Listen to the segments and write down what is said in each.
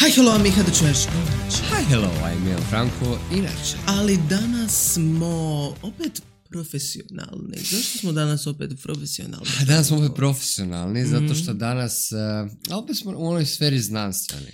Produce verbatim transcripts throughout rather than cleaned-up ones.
Hi, hello, Miha, da čuješ. Hi, hello, I'm Ian Franko, inače. Ali danas smo opet profesionalni. Zašto smo danas opet profesionalni? Danas smo opet profesionalni, mm-hmm. zato što danas, uh, opet smo u onoj sferi znanstveni.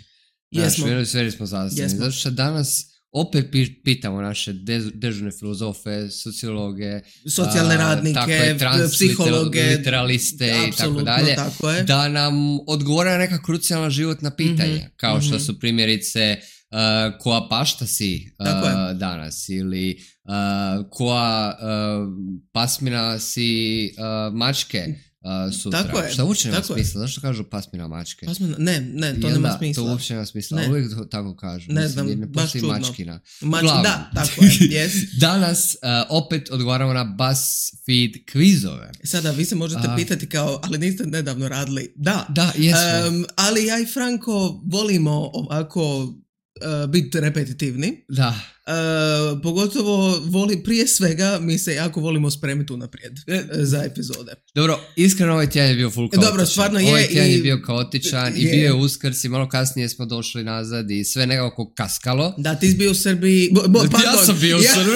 Jesmo. Znaš, u onoj sferi smo znanstveni. Jesmo. Zato što danas opet pitamo naše de- dežurne filozofe, sociologe, socijalne radnike, tako je, trans, psihologe, literaliste i tako dalje, tako je. da nam odgovore na neka krucijalna životna pitanja, mm-hmm. kao što su primjerice uh, koja pašta si uh, danas ili uh, koja uh, pasmina si uh, mačke uh, sutra. Tako je. Šta uopće nema tako smisla? Zašto kažu pasmina mačke? Pasmina, ne, ne, to Jel nema da, smisla. To uopće nema smisla, ne. uvijek tako kažu. Ne Mislim, znam, ne baš postoji čudno. mačkina. Mač, Glavno. da, tako je, yes. Danas uh, opet odgovaramo na BuzzFeed kvizove. Sada, vi se možete A... pitati kao, ali niste nedavno radili. Da, da jesmo. Um, ali ja i Franko volimo ovako uh, biti repetitivni. Da. Uh, pogotovo voli, prije svega mi se jako volimo spremiti unaprijed uh, za epizode. Dobro, iskreno ovaj tjedan je bio full kaotičan. Dobro, stvarno je. Ovaj tjedan i... je bio kaotičan i, i bio je Uskrs i malo kasnije smo došli nazad i sve nekako kaskalo. Da, ti si bio u Srbiji. Bo, bo, pardon, ja sam bio u ja... Srbiji.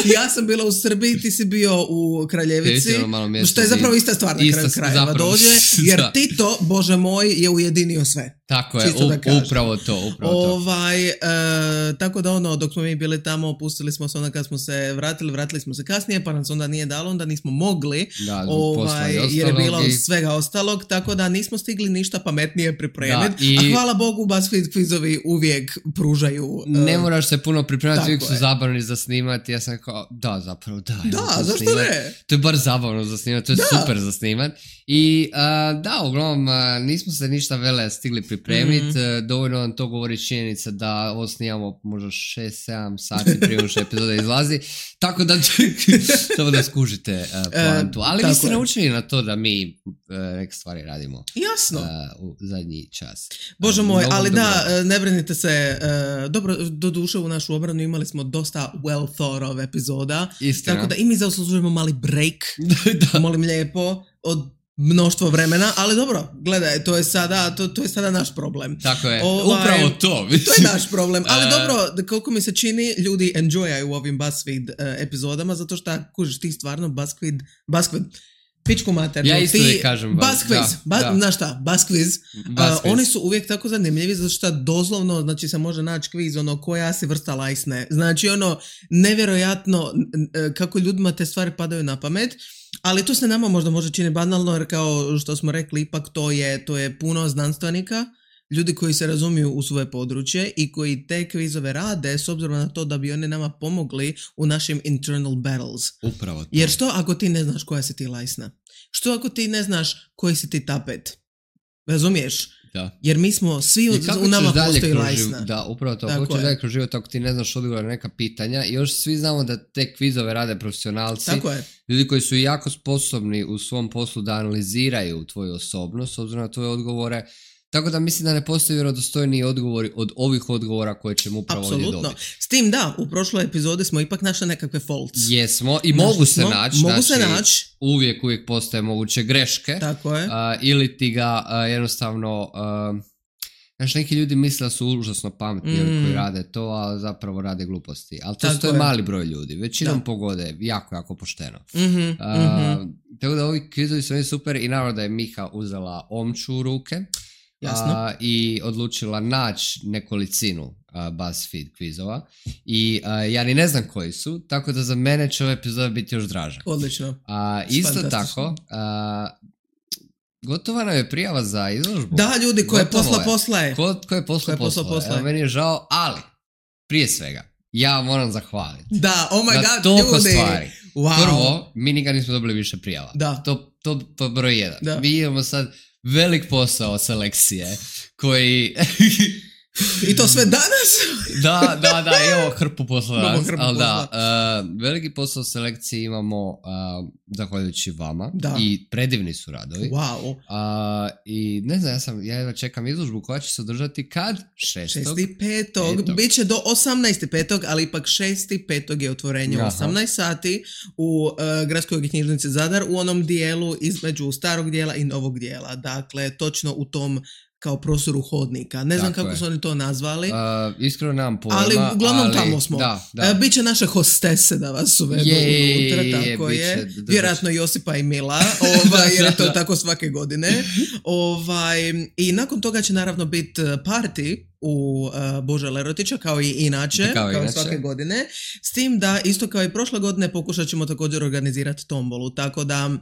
Ja sam bila u Srbiji, ti si bio u Kraljevici, mjesto, što je zapravo ista stvar na kraju krajeva zapravo, dođe, jer da. Tito, Bože moj, je ujedinio sve. Tako je, u, upravo to, upravo to. Ovaj, e, tako da ono, dok smo mi bili tamo, opustili smo se onda kad smo se vratili, vratili smo se kasnije, pa nam se onda nije dalo, onda nismo mogli, da, ovaj, jer je bilo i... svega ostalog, tako da nismo stigli ništa pametnije pripremiti, i... a hvala Bogu, BuzzFeed kvizovi uvijek pružaju. Ne uh, moraš se puno pripremati, uvijek su zabavni za snimati, ja sam kao, da, zapravo, da. Da, zašto snimat. Ne? To je bar zabavno za snimati, to je da. Super za snimati. I uh, da, uglavnom, uh, nismo se ništa vele stigli pripremiti, mm-hmm. uh, dovoljno nam to govori činjenica da ovo snimamo možda šest sedam sati prije što epizoda izlazi, tako da samo da skužite uh, poantu. Ali vi ste je. naučili na to da mi uh, neke stvari radimo. Jasno. Uh, u zadnji čas. Bože uh, moj, ali dobro. da, ne brinite se, uh, dobro, do duše u našu obranu imali smo dosta well thought of epizoda, Istina. Tako da i mi zaslužujemo mali break, da. Molim lijepo, od mnoštvo vremena, ali dobro, gledaj, to je sada, to, to je sada naš problem. Tako je, ovaj, upravo to. To je naš problem, ali dobro, koliko mi se čini, ljudi enjoyaju u ovim BuzzFeed uh, epizodama, zato što, kužiš, ti stvarno BuzzFeed, BuzzFeed, pičku maternu. Ja isto ti kažem. BuzzQuiz, ba, ba, znaš šta, BuzzQuiz, uh, oni su uvijek tako zanimljivi, zato što doslovno, znači se može naći kviz, ono, koja si vrsta lajsne. Znači, ono, nevjerojatno kako ljudima te stvari padaju na pamet. Ali to se nama možda može čini banalno, jer kao što smo rekli, ipak to je, to je puno znanstvenika, ljudi koji se razumiju u svoje područje i koji te kvizove rade s obzirom na to da bi oni nama pomogli u našim internal battles. Upravo to. Jer što ako ti ne znaš koja si ti lajsna? Što ako ti ne znaš koji si ti tapet? Razumiješ? Da. Jer mi smo svi u, u nama postoji lajsna. Da, upravo to. Kako ćeš dalje kroz život ako ti ne znaš odgovor na neka pitanja i još svi znamo da te kvizove rade profesionalci. Tako je. Ljudi koji su jako sposobni u svom poslu da analiziraju tvoju osobnost s obzirom na tvoje odgovore. Tako da mislim da ne postoji vjerodostojniji odgovori od ovih odgovora koje ćemo upravo ovdje dobiti. Apsolutno. S tim da, u prošloj epizodi smo ipak našli nekakve faults. Jesmo i Naš mogu se naći. Mogu znači, se naći. Uvijek, uvijek postoje moguće greške. Tako je. Uh, ili ti ga uh, jednostavno... Uh, Znaš, neki ljudi misle da su užasno pametni mm. koji rade to, a zapravo rade gluposti. Ali to je mali broj ljudi. Većinom da. Pogode jako, jako pošteno. Mm-hmm, uh, mm-hmm. Tako da ovi kvizovi su super i naravno da je Miha uzela omču u ruke. Jasno. Uh, i odlučila naći nekolicinu uh, BuzzFeed kvizova. I uh, ja ni ne znam koji su, tako da za mene će ova epizoda biti još draža. Odlično. Uh, isto tako... Uh, Gotova nam je prijava za izložbu. Da, ljudi, ko je posla posla je. Ko, ko je posla posla, posla je. Meni je žao, ali prije svega, ja moram zahvaliti. Da, oh my god, toliko ljudi. Stvari. Wow. Prvo, mi nikad nismo dobili više prijava. Da. To, to, to broj jedan. Da. Mi imamo sad velik posao selekcije koji... I to sve danas? da, da, da, imamo hrpu posla danas, hrpu ali posla. da, uh, veliki posao selekcije imamo uh, zahvaljujući vama da. I predivni su radovi. Wow. Uh, I ne znam, ja sam, ja čekam izložbu koja će se održati kad? šestog šesti petog Biće do osamnaesti petog ali ipak šesti petog je otvorenje u osamnaest sati u uh, Gradskoj knjižnici Zadar u onom dijelu između starog dijela i novog dijela. Dakle, točno u tom kao prostoru hodnika. Ne znam Tako kako je. su oni to nazvali. Uh, iskreno nemam pojma. Ali uglavnom ali, tamo smo. Da, da. Uh, Biće naše hostese da vas uvedu Je, unutra, je, tako biće, je. da, da, Vjerojatno Josipa i Mila, ovaj, jer je to Da. tako svake godine. Ovaj, I nakon toga će naravno biti party u uh, Bože Lerotića, kao i inače, Kao kao, inače. svake godine. S tim da, isto kao i prošle godine, pokušat ćemo također organizirati tombolu, tako da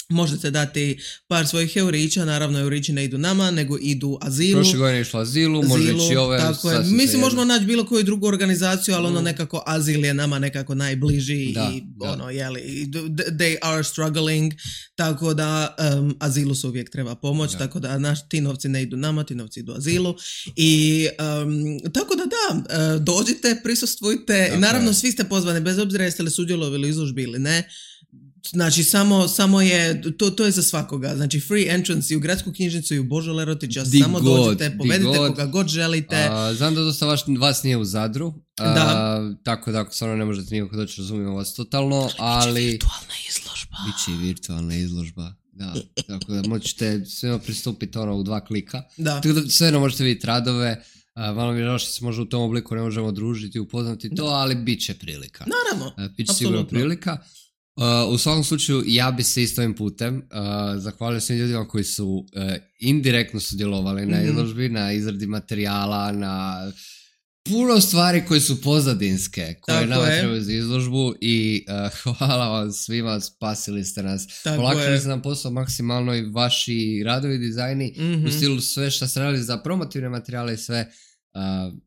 možete dati par svojih eurića, naravno eurići ne idu nama, nego idu Azilu. Prošle godine je išlo Azilu, može ići ove. Tako je. Mislim, možemo naći bilo koju drugu organizaciju, ali mm. ono nekako Azil je nama nekako najbliži da, i da. ono, jeli, they are struggling, tako da um, Azilu se uvijek treba pomoć, da. Tako da naš, ti novci ne idu nama, ti novci idu Azilu i um, tako da da, uh, dođite, prisustvujte, okay. Naravno svi ste pozvani, bez obzira jeste li sudjelovali u izložbi ili ne. Znači, samo, samo je, to, to je za svakoga. Znači, free entrance i u gradsku knjižnicu i u Božu Lerotića. Di samo god, dođite, povedite koga god želite. A, znam da dosta vaš, vas nije u Zadru. A, da. Tako da, ako stvarno ne možete nikako doći, razumijemo vas totalno, ali... Biće virtualna izložba. Biće i virtualna izložba, da. Tako da, možete svema pristupiti ono u dva klika. Da. Tako da, svejedno možete vidjeti radove. A, malo mi je žao što se može u tom obliku ne možemo družiti, upoznati to, ali bit će prilika. Naravno. A, bit će sigurno prilika. Uh, u svakom slučaju ja bi se isto ovim putem uh, zahvalio svim ljudima koji su uh, indirektno sudjelovali mm-hmm. na izložbi, na izradi materijala, na puno stvari koje su pozadinske, koje tako nama je. trebaju za izložbu i uh, hvala vam svima, spasili ste nas, olakšali ste nam posao maksimalno i vaši radovi, dizajni, mm-hmm. u stilu sve što ste radili za promotivne materijale i sve. Uh,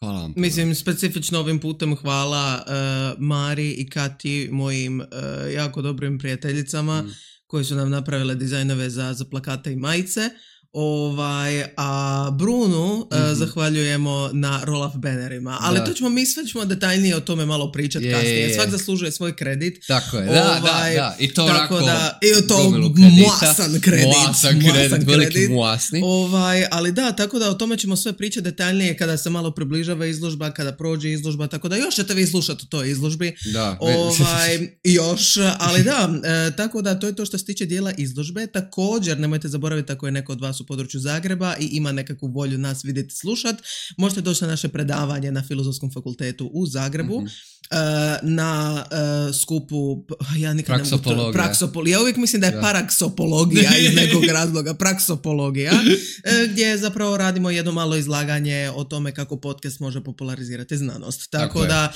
Hvala vam. Mislim, specifično ovim putem hvala uh, Mari i Kati, mojim uh, jako dobrim prijateljicama, mm. koji su nam napravile dizajnove za, za plakate i majice. Ovaj, a Brunu mm-hmm. uh, zahvaljujemo na roll-up banerima. Ali da. To ćemo, mi sve ćemo detaljnije o tome malo pričati je, kasnije. Je, je. Svak zaslužuje svoj kredit. Tako je, da, ovaj, da, da. I to onako da, i to muasan kredit. Muasan kredit, veliki muasni. Ovaj, ali da, tako da o tome ćemo sve pričati detaljnije kada se malo približava izložba, kada prođe izložba, tako da još ćete vi slušati o toj izložbi. Da. Ovaj, još, ali da, e, tako da to je to što se tiče dijela izložbe. Također, nemojte zaboraviti ako je neko od vas u području Zagreba i ima nekakvu volju nas vidjeti, slušati, možete doći na naše predavanje na Filozofskom fakultetu u Zagrebu, mm-hmm. uh, na uh, skupu, ja nikad ne mogu to, praksopologija. Ja uvijek mislim da je da. paraksopologija iz nekog razloga, praksopologija, uh, gdje zapravo radimo jedno malo izlaganje o tome kako podcast može popularizirati znanost. Tako, Tako da,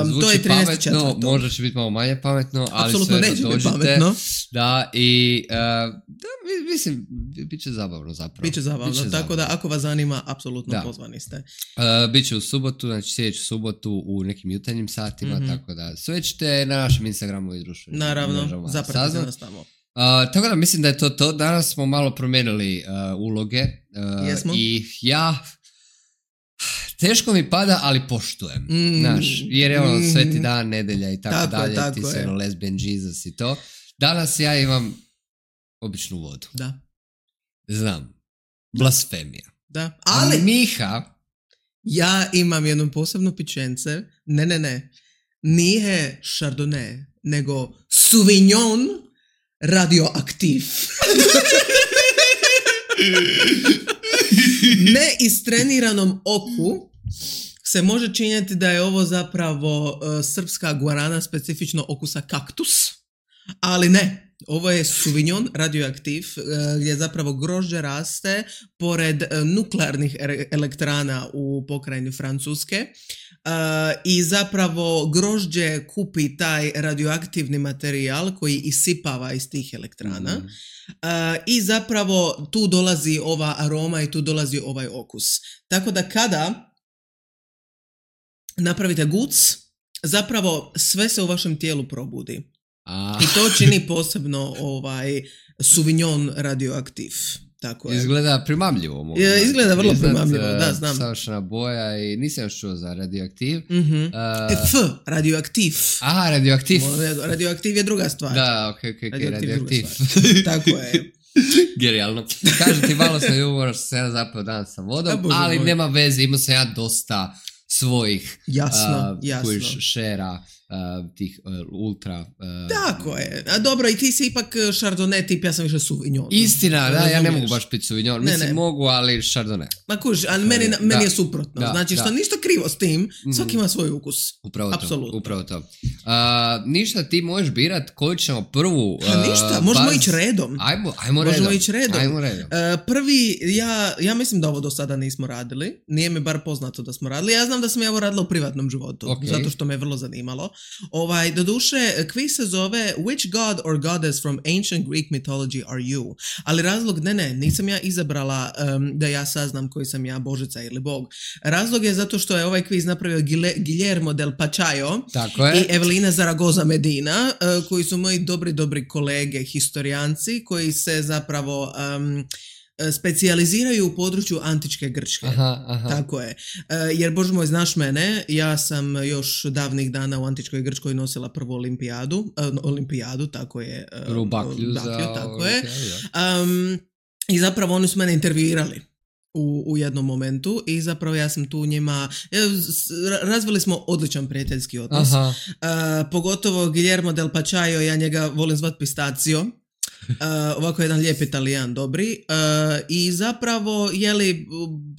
um, to je trinaesti četvrtog Možda će biti malo manje pametno, ali apsolutno sve neće dođite. Biti pametno. Da, i uh, da, mislim, bit će zabavno zapravo. Biće zabavno, Biće tako zabavno. Da ako vas zanima, apsolutno da. Pozvani ste. Uh, Biće u subotu, znači sljedeću subotu u nekim jutarnjim satima, mm-hmm. tako da sve ćete na našem Instagramu i društvenim. Naravno, zapratite nas tamo. Uh, tako da mislim da je to to. Danas smo malo promijenili uh, uloge. Uh, Jesmo. I ja... Teško mi pada, ali poštujem. Mm. Znaš, jer je ono sveti dan, nedelja i tako, tako dalje. Tako ti se ono lesbian Jesus i to. Danas ja imam običnu vodu. Da. Znam. Blasfemija. Da. Ali... A Miha... Ja imam jednu posebnu pičence. Ne, ne, ne. Nije Chardonnay, nego Sauvignon radioaktiv. Neistreniranom oku se može činiti da je ovo zapravo uh, srpska guarana, specifično okusa kaktus, ali ne. Ovo je Sauvignon radioaktiv, uh, gdje zapravo grožđe raste pored uh, nuklearnih er- elektrana u pokrajini Francuske uh, i zapravo grožđe kupi taj radioaktivni materijal koji isipava iz tih elektrana. Mm. Uh, i zapravo tu dolazi ova aroma i tu dolazi ovaj okus. Tako da kada napravite guc, zapravo sve se u vašem tijelu probudi. A. I to čini posebno ovaj Sauvignon radioaktiv. Tako je. Izgleda primamljivo. Mogu je, izgleda vrlo Iznad, primamljivo, da, znam. Savršena boja i nisam još čuo za radioaktiv. Mm-hmm. Uh, F, radioaktiv. Aha, radioaktiv. Radioaktiv je druga stvar. Da, ok, ok, ok, radioaktiv. radioaktiv. Tako je. Genijalno. Kažem ti, malo sam ljubomor što sam ja zapao danas sa vodom, ja, ali moj. Nema veze, imao sam ja dosta svojih jasno, uh, jasno. šera uh, tih uh, ultra... Uh, Tako je. A dobro, i ti si ipak Chardonnay tip, ja sam više Sauvignon. Istina, da, razumiješ. Ja ne mogu baš piti Sauvignon. Mislim, ne, ne. mogu, ali Chardonnay. Ma kuži, ali meni, da, meni je suprotno. Da, znači, što da. ništa krivo s tim, svaki ima svoj ukus. Upravo Apsolutno. to. Upravo to. Uh, ništa, ti možeš birat koju ćemo prvu... Uh, ha, ništa, možemo baz... ići redom. Ajmo, ajmo redom. Možemo ići redom. Ajmo redom. Uh, prvi, ja, ja mislim da ovo do sada nismo radili. Nije mi bar poznato da smo radili. Ja znam da sam ja ovo radila u privatnom životu. Okay. Zato što me je vrlo zanimalo. Ovaj, doduše, kviz se zove Which god or goddess from ancient Greek mythology are you? Ali razlog, ne, ne, nisam ja izabrala um, da ja saznam koji sam ja, božica ili bog. Razlog je zato što je ovaj kviz napravio Gile, Guillermo del Pachayo i Evelina Zaragoza Medina, uh, koji su moji dobri, dobri kolege, historijanci, koji se zapravo... Um, specijaliziraju u području antičke Grčke. Aha, aha. Tako je. E, jer, bože moj, znaš mene, ja sam još davnih dana u antičkoj Grčkoj nosila prvu olimpijadu. E, olimpijadu, tako je. E, prvu baklju za tako je. Um, I zapravo oni su mene intervjuirali u, u jednom momentu i zapravo ja sam tu njima, razvili smo odličan prijateljski odnos. E, pogotovo Guillermo del Pachayo, ja njega volim zvat Pistacio. Uh, ovako jedan lijep Italijan, dobri. Uh, I zapravo, jeli,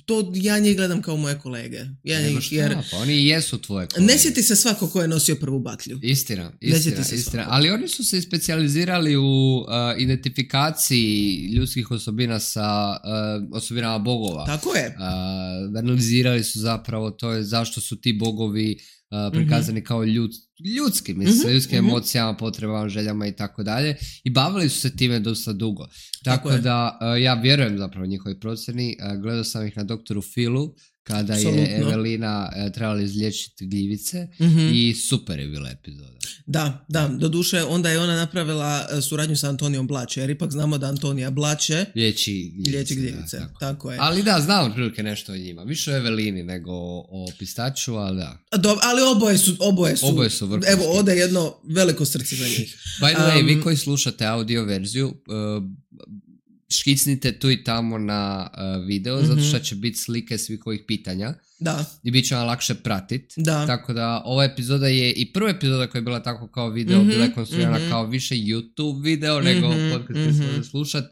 to ja njih gledam kao moje kolege. Ja njih, šta, jer, pa oni jesu tvoje kolege. Ne sjeti se svako ko je nosio prvu baklju. Istina, istina, istina. Ali oni su se specijalizirali u uh, identifikaciji ljudskih osobina sa uh, osobinama bogova. Tako je. Uh, analizirali su zapravo to je zašto su ti bogovi Uh, prikazani mm-hmm. kao ljud, ljudski, mislim, mm-hmm. ljudskim mm-hmm. emocijama, potrebama, željama i tako dalje. I bavili su se time dosta dugo. Tako, tako da uh, ja vjerujem zapravo njihovoj procjeni. Uh, gledao sam ih na doktoru Philu kada Absolutno. je Evelina uh, trebala izliječiti gljivice mm-hmm. i super je bila epizoda. Da, da, doduše onda je ona napravila uh, suradnju sa Antonijom Blače, jer ipak znamo da Antonija Blače liječi gljivice. Liječi gljivice. Da, tako. tako je. Ali da, znam otprilike nešto o njima. Više o Evelini nego o Pistaču, ali da. Dob, ali oboje su, oboje su, oboje su vrhunski. Evo, ode jedno veliko srce za njih. By the way, um, vi koji slušate audio verziju, uh, škicnite tu i tamo na uh, video, mm-hmm. zato što će biti slike svih ovih pitanja. Da. I bit će vam lakše pratit. Da. Tako da ova epizoda je i prva epizoda koja je bila tako kao video, mm-hmm. bila je konstruirana mm-hmm. kao više YouTube video mm-hmm. nego podcast koji mm-hmm. se slušat.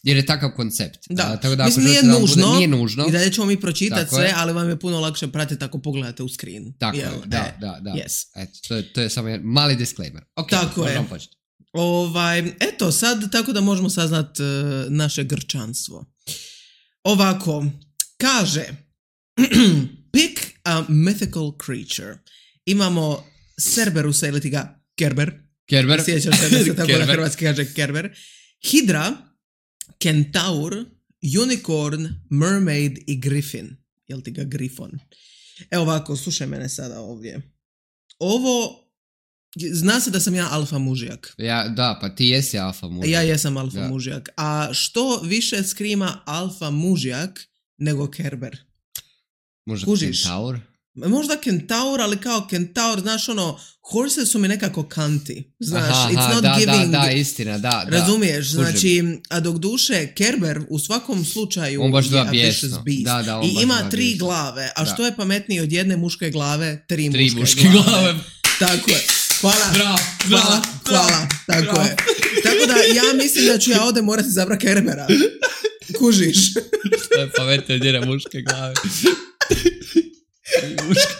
Jer je takav koncept. Da, uh, tako da mislim nije nužno, bude, nije nužno. I dalje ćemo mi pročitati sve, je. Ali vam je puno lakše pratiti ako pogledate u screen. Tako je, da, e, da, da. Yes. Eto, to, je, to je samo jedan mali disclaimer. Ok, tako je. Početi. Ovaj, eto, sad tako da možemo saznat uh, naše grčanstvo. Ovako, kaže pick a mythical creature. Imamo Cerberusa ili ti ga Kerber. Kerber. Sjećam se da se tako na hrvatski kaže Kerber. Hidra, Kentaur, Unicorn, Mermaid i Griffin. Jel ti ga Grifon? Evo ovako, slušaj mene sada ovdje. Ovo, zna se da sam ja alfa mužijak. Ja, da, pa ti jesi alfa mužijak. Ja jesam alfa da. mužijak. A što više skrima alfa mužijak nego Kerber? Možda Kužiš? Kentaur? Možda Kentaur, ali kao Kentaur, znaš ono, horse su mi nekako kanti. Znaš, aha, it's aha, not da, giving. Da, da, istina, da. Razumiješ, da, znači, a dok duše Kerber u svakom slučaju on baš je a vicious beast. Da, da, on i ima tri bijesno. glave, a da. što je pametniji od jedne muške glave, tri, tri muške, muške glave. glave. Tako je. Hvala. Bravo, hvala, bravo, hvala. Tako bravo. je. Tako da ja mislim da ću ja ovdje morati zabrat Kerbera. Kužiš. Što je pametniji od jedne muške glave. Muške.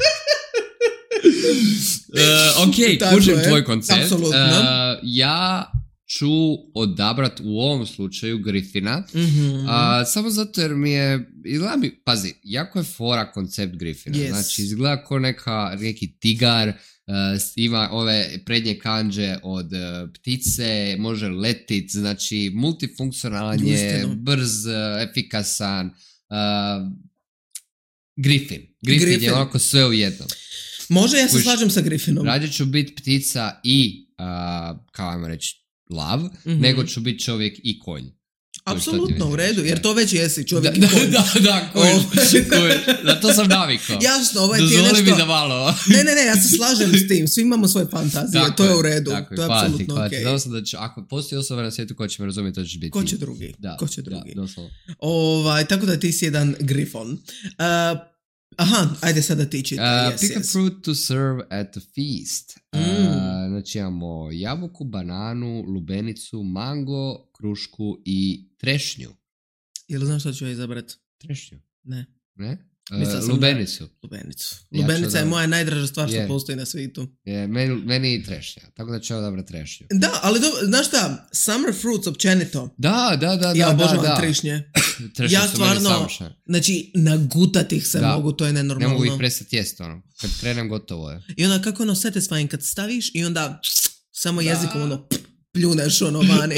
Uh, ok, kužim tvoj koncept. Apsolutno. Uh, ja ću odabrat u ovom slučaju Griffina. Mm-hmm. Uh, samo zato jer mi je, izgleda mi, pazi, jako je fora koncept Griffina. Yes. Znači, izgleda kao neka, neki tigar, uh, ima ove prednje kanđe od uh, ptice, može letit, znači multifunkcionalan je, brz, uh, efikasan. Uh, Griffin. Griffin. Griffin je onako sve u jednom. Može, ja se Kuš, slažem sa Griffinom. Rađe ću biti ptica i, uh, kao ajmo reći, lav, mm-hmm. nego ću biti čovjek i konj. Apsolutno, u redu, jer to već jesi čovjek da, i konj. Da, da, da, konj. konj. Na to sam navikao. Jasno, ovaj ti je nešto... Dozvoli mi da malo... ne, ne, ne, ja se slažem s tim, svi imamo svoje fantazije, tako to je u redu, tako to je hvala apsolutno okej. Okay. Znamo sam da će, ako postoji osoba na svijetu ko će me razumjeti, to ćeš biti. Ko će drugi, da, ko će drugi. Da, doslovno. Ovaj, tako da ti si jedan Griffon. Uh, Aha, ajde sada ti čitaj. Uh, yes, pick yes. a fruit to serve at a feast. Mm. Uh, znači imamo jabuku, bananu, lubenicu, mango, krušku i trešnju. Jel znaš šta ću ja izabrat? Trešnju? Ne. Ne? Mislila Uh, sam lubenicu. Da... Lubenicu. Ja Lubenica je da... moja najdraža stvar što je. postoji na svijetu. Je, meni, meni i trešnja. Tako da ću odabrat trešnju. Da, ali do, znaš šta? Summer fruits općenito. Da, da, da. Ja da, obožavam da. trešnje. Trešnje ja su stvarno, meni savršene. znači, nagutat ih se da. mogu, to je nenormalno. Ne mogu ih prestati jesti, ono. Kad krenem, gotovo je. I onda kako ono satisfying kad staviš i onda samo da. jezikom ono pljuneš ono vani.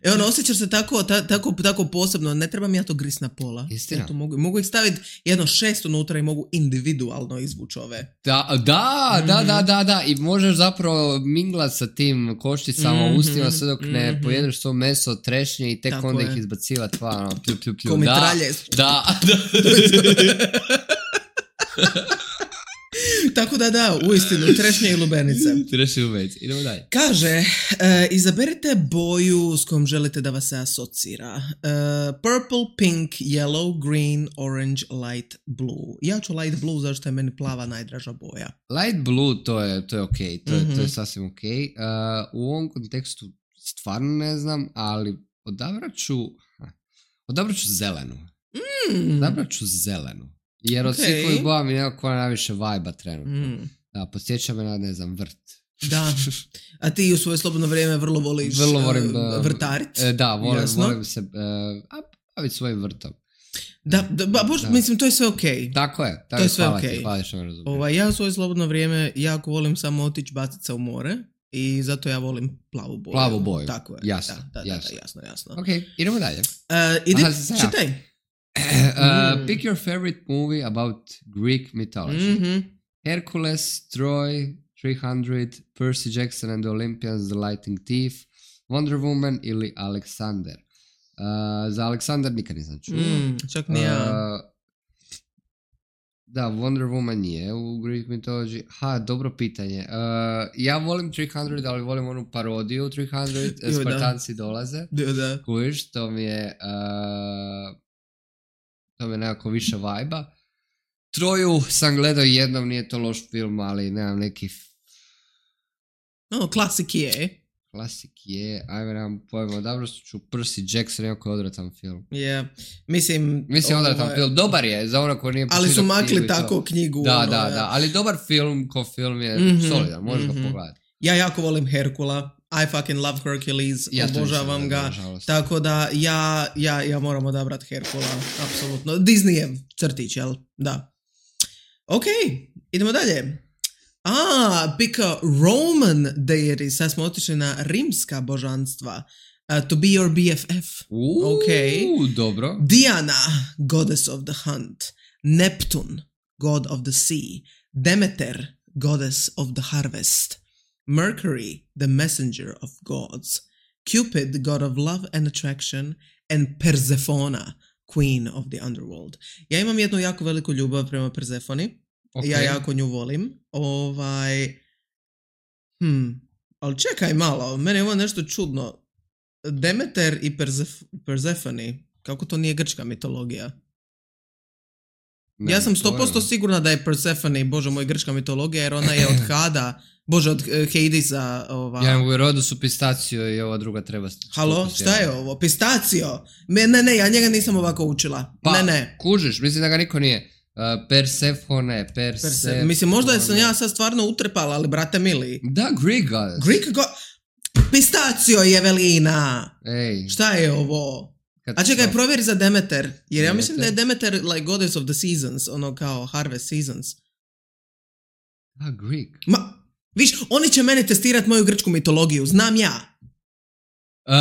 E ono, osjećaš se tako, ta, tako, tako posebno, ne trebam ja to gris na pola. Istina. Ja to mogu, mogu ih staviti jedno šest unutra i mogu individualno izvući ove. Da, da, mm-hmm. da, da, da, da, i možeš zapravo minglat sa tim košticama mm-hmm. u ustima sve dok ne mm-hmm. pojedeš to meso od trešnje i tek tako onda je. Ih izbacivati, pa ono, plju, plju, plju. Ko mitralje. Da, da. Tako da da, uistinu, trešnje i lubenice. Trešnje i lubenice, idemo dalje. Kaže, uh, izaberite boju s kojom želite da vas se asocira. Uh, purple, pink, yellow, green, orange, light blue. Ja ću light blue zašto je meni plava najdraža boja. Light blue, to je, to je ok, to je, mm-hmm. to je sasvim ok. Uh, u ovom kontekstu stvarno ne znam, ali odabrat ću, odabrat ću zelenu. Mm. Odabrat ću zelenu. Jer od okay. svih ovih boja mi nekako najviše vajba trenutno. Mm. Da, podsjeća me na, ne znam, vrt. Da, a ti u svoje slobodno vrijeme vrlo voliš vrlo volim, uh, vrtarit. Uh, da, volim, volim se uh, baviti svojim vrtom. Da, da, ba, bož, da. Mislim, to je sve okej. Okay. Tako je, tako to je sve hvala okej. Okay. Hvala što me razumiješ. Ovaj, ja u svoje slobodno vrijeme jako volim samo otići baciti se u more i zato ja volim plavu boju. Plavu boju, tako je. jasno. Da, da, jasno. Da, jasno, jasno. Ok, idemo dalje. Uh, idi, Aha, čitaj. Uh, pick your favorite movie about Greek mythology. Mm-hmm. Hercules, Troy, three hundred, Percy Jackson and the Olympians, The Lightning Thief, Wonder Woman ili Alexander. Uh, za Alexander nikad nisam čuo. Mm, čak ni ja. Uh, da, Wonder Woman je u Greek mythology. Ha, dobro pitanje. Uh, ja volim three hundred, ali volim onu parodiju three hundred. Jo, Spartanci da. Dolaze. Jo, da. Kužiš, to mi je... Uh, to mi je nekako više vajba. Troju sam gledao jednom, nije to loš film, ali nemam neki... No, klasik je. Klasik je, ajme nemam pojma, dobro ću Percy Jackson, jako je odratan film. Yeah. Mislim... Mislim ovaj... odratan film, dobar je, za ono ko nije... Ali su makli tako knjigu. Da, ono, da, ja. da, ali dobar film ko film je mm-hmm, solidan, možeš mm-hmm. ga pogledati. Ja jako volim Herkula. I fucking love Hercules, ja obožavam ga, da, tako da ja, ja, ja moram odabrat Herkula, apsolutno. Disneyev crtić, jel? Da. Ok, idemo dalje. Ah, pick a Roman deity, sad smo otišli na rimska božanstva. Uh, to be your B F F. Uuu, okay. dobro. Diana, goddess of the hunt. Neptune, god of the sea. Demeter, goddess of the harvest. Mercury, the messenger of gods, Cupid, god of love and attraction, and Persephone, queen of the underworld. Ja imam jednu jako veliku ljubav prema Persefoni. Okay. Ja jako nju volim. Ovaj... Hmm. Ali čekaj malo, meni je ovo nešto čudno. Demeter i Persef- Persefone, kako to nije grčka mitologija? Ne, ja sam sto posto sigurna da je Persefone, bože moj, grčka mitologija, jer ona je od Hada, bože, od Hadesa. Ova... Ja u rodu su Pistacio i ova druga treba... Halo, šta je ovo? Pistacio? Me, ne, ne, ja njega nisam ovako učila. Pa, ne, ne. kužiš, mislim da ga niko nije. Uh, Persefone, Persefone... Perse... Mislim, možda sam ja sad stvarno utrepala, ali brate mili. Da, Greek goddess. Greek goddess. Pistacio je Evelina. Ej. Šta je ovo? A čekaj, provjeri za Demeter. Jer Demeter? Ja mislim da je Demeter like goddess of the seasons, ono kao harvest seasons. A, Greek. Ma, viš, oni će mene testirati moju grčku mitologiju, znam ja. Uh,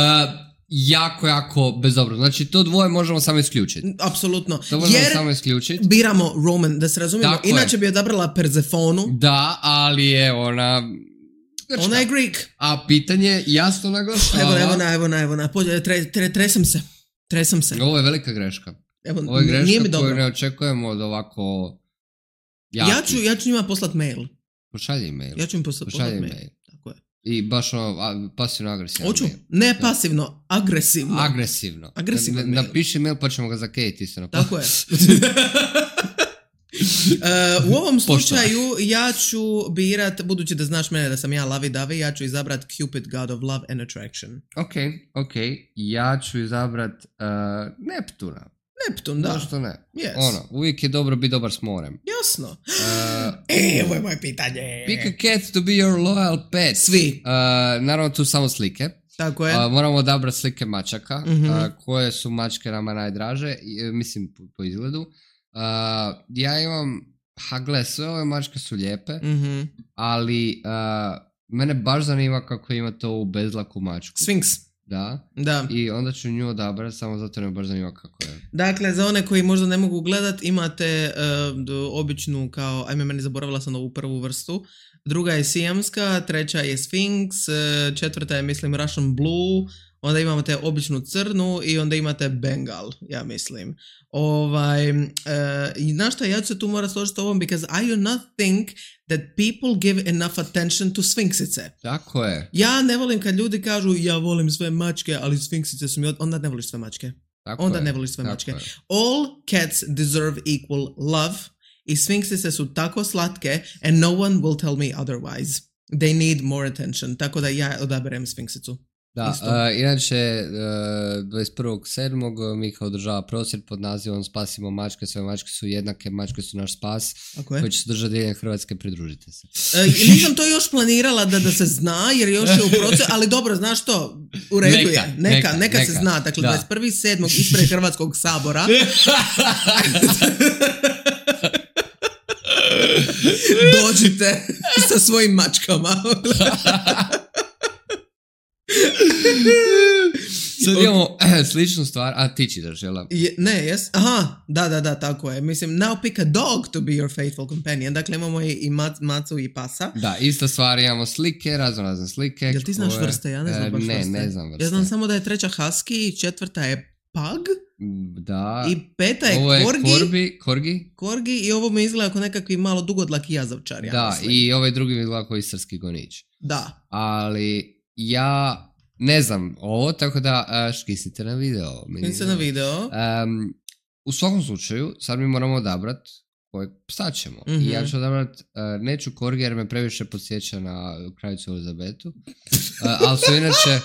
jako, jako bezobro. Znači, to dvoje možemo samo isključiti. Apsolutno. To možemo jer samo isključiti. Biramo Roman, da se razumijemo. Tako inače je. Bi odabrala Persefonu. Da, ali je ona... Grčka. Ona je Greek. A pitanje jasno naglašava... Evo, evo na, evo na, evo na. Tre, tre, tresam se. Tresam se. Ovo je velika greška. Evo, ovo je greška koju ne očekujemo od ovako... Jaki. Ja ću, ja ću njima poslat mail. Pošalji mail. Ja ću im poslat, poslat mail. mail. Tako je. I baš ono, pasivno agresivno. Hoću. Ne pasivno, agresivno. Agresivno. Agresivno mail. Napiši mail pa ćemo ga zakejiti isto na Tako je. Uh, u ovom slučaju ja ću birat, budući da znaš mene da sam ja lavi-davi, ja ću izabrat Cupid, God of Love and Attraction. Ok, ok. Ja ću izabrat uh, Neptuna. Neptun, da. Zašto ne? Yes. Ono, uvijek je dobro biti dobar s morem. Jasno. Uh, e, ovo je moje pitanje. Pick a cat to be your loyal pet. Svi. Uh, naravno tu samo slike. Tako je. Uh, moramo odabrati slike mačaka. Mm-hmm. Uh, koje su mačke nama najdraže. Uh, mislim po, po izgledu. Uh, ja imam, ha gle, sve ove mačke su lijepe. Mm-hmm. Ali uh, mene baš zanima kako ima to u bezlaku mačku. Sphinx. Da. Da. I onda ću nju odabrati, samo zato me baš zanima kako je. Dakle, za one koji možda ne mogu gledat, imate uh, običnu kao, ajme meni zaboravila sam ovu prvu vrstu, druga je sijamska, treća je Sphinx, četvrta je mislim Russian Blue, onda imate običnu crnu i onda imate Bengal, ja mislim. Ovaj, uh, i znaš šta, ja ću se tu morat složiti s ovom, because I do not think that people give enough attention to sfinksice. Tako je. Ja ne volim kad ljudi kažu ja volim sve mačke, ali sfinksice su mi od... onda ne voliš sve mačke. Tako onda je. ne voliš sve Tako mačke. Je. All cats deserve equal love i sfinksice su tako slatke and no one will tell me otherwise. They need more attention. Tako da ja odaberem sfinksicu. Da, uh, inače uh, dvadeset prvog sedmog Mika održava prosvjed pod nazivom Spasimo mačke, sve mačke su jednake, mačke su naš spas, koji će se držati diljem Hrvatske, pridružite se. E, nisam to još planirala da, da se zna, jer još je u procesu, ali dobro, znaš što, u redu neka, je, neka, neka, neka, neka se zna, dakle da. dvadeset prvog sedmog ispred Hrvatskog sabora. Dođite sa svojim mačkama. Sad imamo sličnu stvar, a ti čitaš, jel? Je, ne, jes? Aha, da, da, da, tako je. Mislim, now pick a dog to be your faithful companion. Dakle, imamo i, i mac, macu i pasa. Da, ista stvar, imamo slike, razno razne slike. Jel ti znaš koje... vrste? Ja ne znam baš ne, vrste. Ne, ne znam vrste. Ja znam samo da je treća husky, četvrta je pug. Da. I peta je ovo je korgi. korbi, korgi. Korgi i ovo mi izgleda kao nekakvi malo dugodlaki jazavčar. Ja da, mislim. i ovaj drugi mi izgleda kao istarski gonič. Da. Ali ja... Ne znam ovo, tako da uh, škisnite na video. Škisnite na video. Um, u svakom slučaju, sad mi moramo odabrat kojeg psa ćemo. Mm-hmm. I ja ću odabrat, uh, neću korgi jer me previše podsjeća na kraljicu Elizabetu. Uh, ali su inače...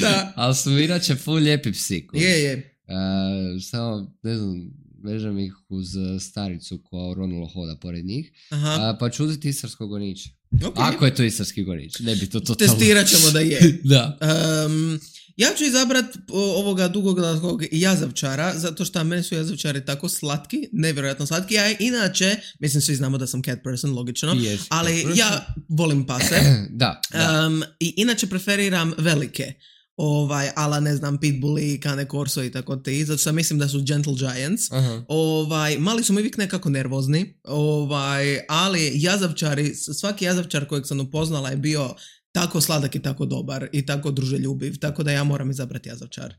da. Ali su inače full lijepi psi. Je, je. Uh, samo, ne znam, vežem ih uz staricu koja ronulo hoda pored njih. Aha. Uh, pa ću uzeti istarskog goniča. Okay. Ako je to istarski gonič, ne bi to totalno... Testirat ćemo da je. da. Um, ja ću izabrat ovoga dugoglavog jazavčara, zato što meni su jazavčari tako slatki, nevjerojatno slatki. Ja inače, mislim svi znamo da sam cat person, logično, yes, ali ja volim pase. da, da. Um, I inače preferiram velike. Ovaj, ala ne znam, pitbulli, cane corso i tako te, zato što mislim da su gentle giants. Uh-huh. Ovaj, mali su mi uvijek nekako nervozni, ovaj, ali jazavčari, svaki jazavčar kojeg sam upoznala je bio tako sladak i tako dobar i tako druželjubiv, tako da ja moram izabrati jazavčar.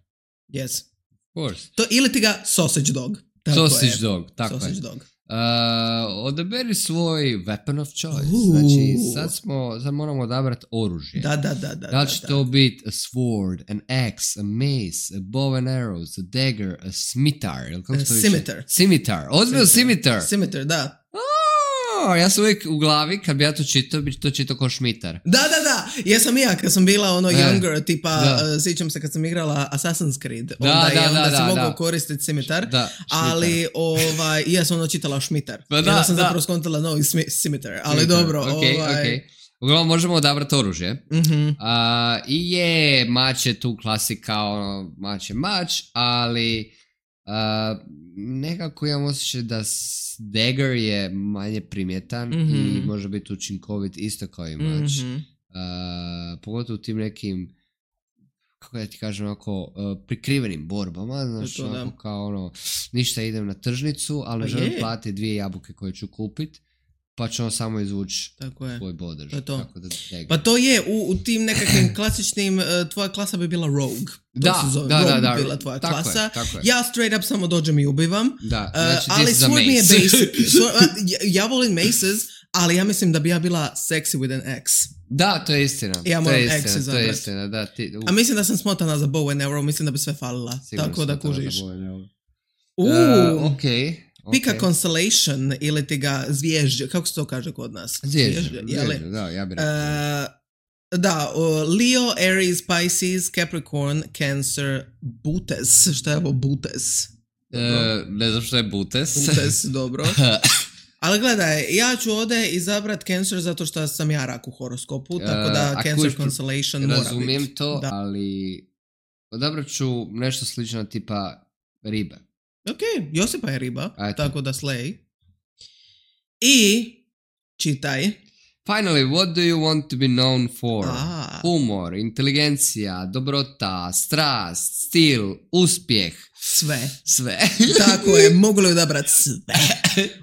Yes. Of course. To, ili ti ga sausage dog. Tako sausage je. dog, tako sausage je. Dog. Uh, odaberi svoj weapon of choice. Uh. Znači, sad smo, sad moramo odabrati oružje. Da, da, da. da da li će da, to da. biti a sword, an axe, a mace, a bow and arrows, a dagger, a scimitar. Kako uh, scimitar. Scimitar. Ozbiljno scimitar. Scimitar, da. Oh, ja sam uvijek u glavi, kad bi ja to čitao, bi to čitao kao šmitar. Da, da, da. Ja sam i ja, kad sam bila ono younger, tipa, uh, sjećam se kad sam igrala Assassin's Creed. Da, onda da, je, onda da, si da, mogao da. koristiti scimitar. Da, ali, ovaj, ja sam ono čitala šmitar. Pa da, ja sam da. zapravo skontala novi scimitar. Ali dobro, okay, ovaj... Okay. Uglavnom možemo odabrati oružje. Mm-hmm. Uh, I je, mač je tu klasika, ono, mač je mač, ali... Uh, nekako imam osjećaj da dagger je manje primjetan mm-hmm. i može biti učinkovit isto kao i mač. Mm-hmm. Uh, pogotovo u tim nekim, kako da ti kažem, onako, uh, prikrivenim borbama, znaš, to, onako kao ono, ništa idem na tržnicu, ali želim platiti dvije jabuke koje ću kupiti, pa ću samo izvući tvoj bodež. To je to. Tako da, pa to je, u, u tim nekakvim klasičnim, uh, tvoja klasa bi bila rogue. Da, da, rogue da, da, bi bila tvoja tako klasa. Je, tako je. Ja straight up samo dođem i ubivam. Da, znači uh, ali sword mi je mace. basic. So, uh, ja, ja volim maces, ali ja mislim da bi ja bila sexy with an axe. Da, to je istina. Ja moram to je istina, axe to je istina, da. Ti, uh. A mislim da sam smotana za bow and arrow, mislim da bi sve falila. Sigurno tako da kužiš. Uh, Uh, ok, Pika Okay. constellation ili ti ga zvježđe, kako se to kaže kod nas? Zvježđe, je li? zvježđe, da, ja bih rekao. Uh, da, uh, Leo, Aries, Pisces, Capricorn, Cancer, Butes. Šta je ovo Butes? Uh, ne znam što je Butes. Butes, dobro. Ali gledaj, ja ću ovdje izabrat Cancer zato što sam ja rak u horoskopu, tako da Uh, Cancer kuš, constellation mora biti. razumijem to, Da. ali odabrat ću nešto slično tipa ribe. Ok, Josipa je riba, Eto. tako da slej. I čitaj. Finally, what do you want to be known for? A. Humor, inteligencija, dobrota, strast, stil, uspjeh, Sve. sve. Tako je, mogu li odabrat sve?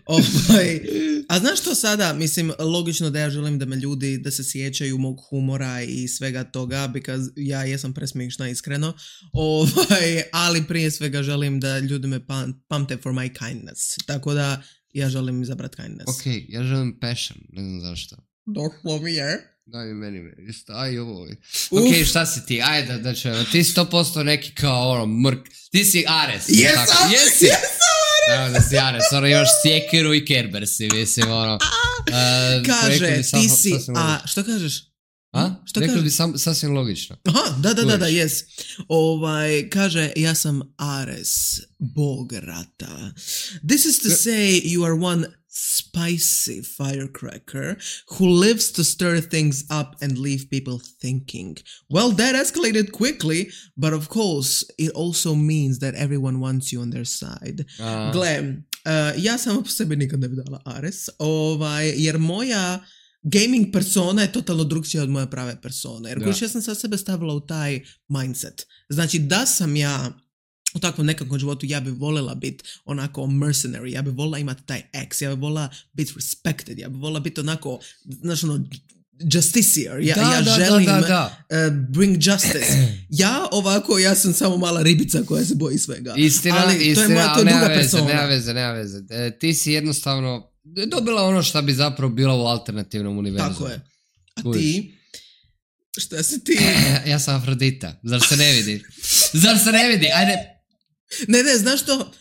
Ovaj, a znaš što sada, mislim, logično da ja želim da me ljudi, da se sjećaju mog humora i svega toga, because ja jesam presmišna iskreno, ovaj, ali prije svega želim da ljudi me pam, pamte for my kindness. Tako da ja želim izabrat kindness. Ok, ja želim passion, ne znam zašto. Došlo mi je. Daj mi meni, isto, aj ovo. Uf. Ok, šta si ti, ajde da, da ćemo, ti sto posto neki kao ono mrk, ti si Ares. Jesam, tako? Jesi? jesam Evo da si Ares, ono još sjekiru i Kerber si, mislim, ono. Uh, Kaže, ti si, a što kažeš? A? Što Rekli kažeš? bi sam, sasvim logično. Aha, da, da, da, da, Kužiš. jes. Ovaj, kaže, ja sam Ares, bog rata. This is to say you are one spicy firecracker who lives to stir things up and leave people thinking. Well, that escalated quickly, but of course, it also means that everyone wants you on their side. A, Gle, uh, ja sama po sebi nikad ne bi dala Ares, ovaj, jer moja gaming persona je totalno drugčija od moje prave persone. Jer Da. kojiš ja sam sa sebe stavila u taj mindset. Znači da sam ja u takvom nekakvom životu, ja bi voljela biti onako mercenary, ja bi voljela imati taj ex, ja bi voljela biti respected, ja bi voljela biti onako, znaš ono, justiciar. Ja, da, ja da, želim da, da, da. Uh, bring justice. Ja ovako, ja sam samo mala ribica koja se boji svega. Istina, ali istina, to je moja, to ali je nema druga veze, persona. nema veze, nema veze. E, ti si jednostavno dobila ono što bi zapravo bilo u alternativnom univerzumu. Tako je. A Kužiš. ti? Šta si ti? Ja sam Afrodita, zar se ne vidi? Zar se ne vidi? Ajde. Ne, ne, znaš što?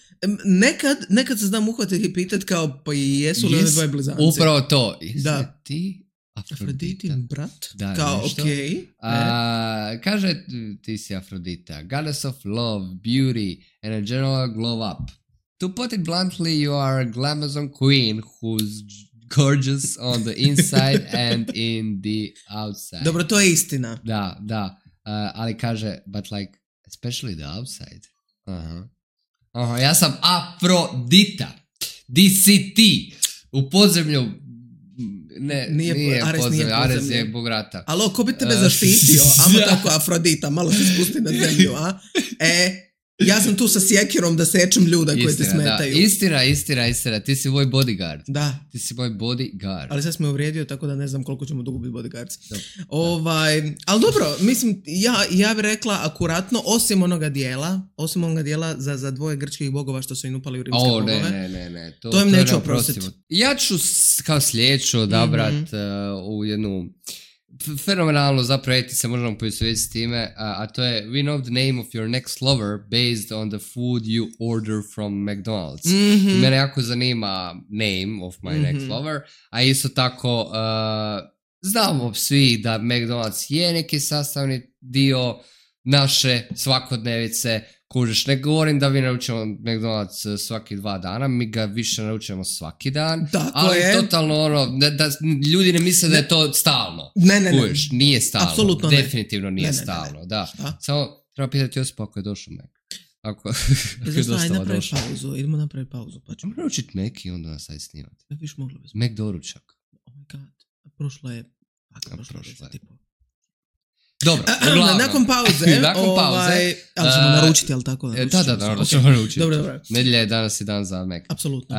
Nekad, nekad se znam uhvatiti i pitat kao, pa i jesu li Jes- one dvoje blizanci? Upravo to. Jesi Da. li ti Afrodita? Afroditin brat? Da, kao, nešto. okej. Okay. A, kaže ti si Afrodita, goddess of love, beauty and a general glow up. To put it bluntly, you are a glamazon queen who's gorgeous on the inside and in the outside. Dobro, to je istina. Da, da. Uh, ali kaže, but like, especially the outside. Aha. Aha, ja sam Afrodita. Di si ti? U podzemlju. Ne, Nije nije, po- nije Ares nije podzemlju. Ares podzemlje. je bog rata. Alo, ko bi tebe Uh, zaštitio? Amo da. tako Afrodita, malo se spusti na zemlju, a? E, ja sam tu sa sjekirom da sečem ljuda koji ti Istina, smetaju. da. Istina, istina, istina. Ti si moj bodyguard. Da, Ti si moj bodyguard. ali sad si me uvrijedio, tako da ne znam koliko ćemo dugo biti bodyguards. Dobro. Ovaj, ali dobro, mislim, ja, ja bih rekla akuratno, osim onoga dijela, osim onoga dijela za, za dvoje grčkih bogova što su im upali u rimske O, ne, bogove. ne, ne, ne. To, To im je neću neoprostivo. oprostit. Ja ću s- kao sljedeću odabrat Mhm. uh, u jednu f- fenomenalno, zapravo eti se možemo poistovjetiti s time, a, a to je we know the name of your next lover based on the food you order from McDonald's. Mhm. Mene jako zanima name of my Mhm. next lover, a isto tako uh, znamo svi da McDonald's je neki sastavni dio naše svakodnevice. Kužiš, ne govorim da vi naručujemo McDonald's uh, svaki dva dana, mi ga više naručujemo svaki dan, Tako ali je. totalno ono, da, da ljudi ne misle da je to stalno. Ne, ne, ne. Kužiš, nije stalno, Apsolutno ne. definitivno nije Ne, ne, ne, ne. stalno, da. Šta? Samo treba pitati Josipa ako je došao Mac. Ako, ako je Znaš šta, ajde dostava napravi došao. pauzu, idemo napraviti pauzu, pa ćemo. Možemo naručiti neki onda nas aj snimati. Ne viš mogli bismo. Mac doručak. Oh my god. Prošlo je... A, A, prošlo je prošlo je. deset i pol. Dobro, A, uglavnom. nakon pauze, Nakon pauze, ovaj, ali ćemo uh, naručiti, ali tako? E, Da, da, da, naručit da ćemo se. ćemo Ok. naručiti. Dobro, dobro. Nedjelja je danas i dan za Mac. Apsolutno.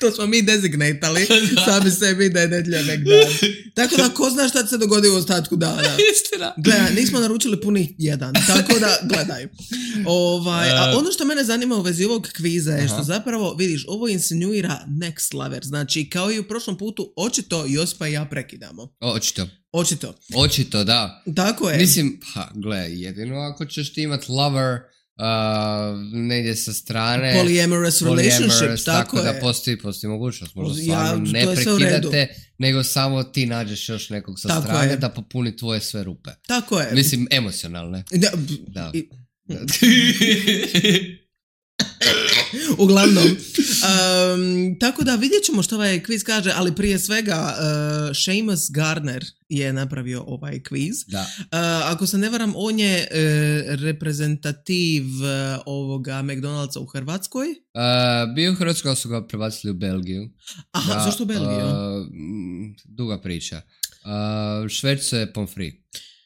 To smo mi designatali sami sebi da je nedjelja nek dan. Tako da ko zna šta se dogodi u ostatku dana. Istina. Gledaj, nismo naručili punih jedan, tako da gledaj. Ovaj, a ono što mene zanima u vezi ovog kviza je što zapravo, vidiš, ovo insinuira next level. Znači, kao i u prošlom putu, očito Josipa i ja prekidamo. Očito. Očito. Očito, da. Tako je. Mislim, ha, gle, jedino ako ćeš ti imat lover uh, negdje sa strane. Polyamorous relationship, tako, tako je. da postoji, postoji mogućnost. Možda Ja, stvarno to ne je sve u redu. prekidate, nego samo ti nađeš još nekog sa Tako strane je. da popuni tvoje sve rupe. Tako je. Mislim, emocionalne. Da. Da. I- Uglavnom, um, tako da vidjet ćemo što ovaj kviz kaže, ali prije svega uh, Seamus Garner je napravio ovaj kviz. Da. Uh, ako se ne varam, on je uh, reprezentativ uh, ovoga McDonald'sa u Hrvatskoj. Uh, bio u Hrvatskoj, ali su ga prebacili u Belgiju. Aha, Da, zašto u Belgiju? uh, m, duga priča. Uh, šverco je pomfri.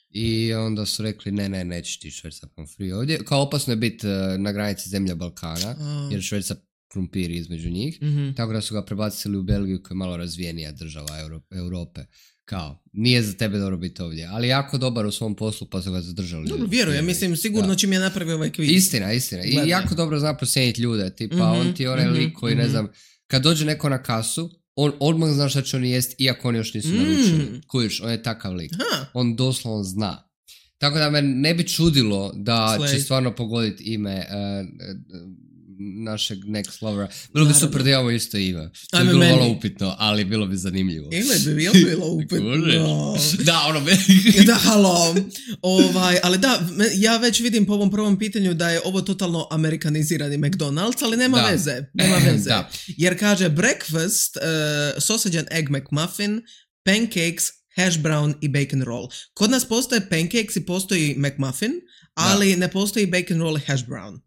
I onda su rekli, ne, ne, nećeš ti šverca pomfri ovdje. Kao opasno je biti uh, na granici zemlja Balkana, A. jer šverca krumpir između njih. Mhm. Tako da su ga prebacili u Belgiju, koja je malo razvijenija država Euro- Europe. Kao, nije za tebe dobro biti ovdje, ali jako dobar u svom poslu, pa su ga zadržali. Dobro, vjerujem, mislim, sigurno Da. čim je napravio ovaj kviz. Istina, istina. I Gledaj. jako dobro zna prosjeniti ljude. Tipa, Mhm, on ti je onaj mhm, lik koji, ne mhm. znam, kad dođe neko na kasu, on odmah zna šta će oni jest, iako oni još nisu Mm. naručili. Kužiš, on je takav lik. Ha, On doslovno zna. Tako da me ne bi čudilo da Slay. će stvarno pogoditi ime uh, našeg next lovera. Bilo bi Naravno. super da imamo isto ime. To bi Ajme bilo meni. malo upitno, ali bilo bi zanimljivo. ili bi, jel bilo upitno? Kužiš? Da, ono bi... Da, halo. Ovaj, ali da, me- ja već vidim po ovom prvom pitanju da je ovo totalno amerikanizirani McDonald's, ali nema Da. veze. Nema veze. Da. Jer kaže breakfast, uh, sausage and egg McMuffin, pancakes, hash brown i bacon roll. Kod nas postoje pancakes i postoji McMuffin, ali ne postoji bacon roll i hash brown.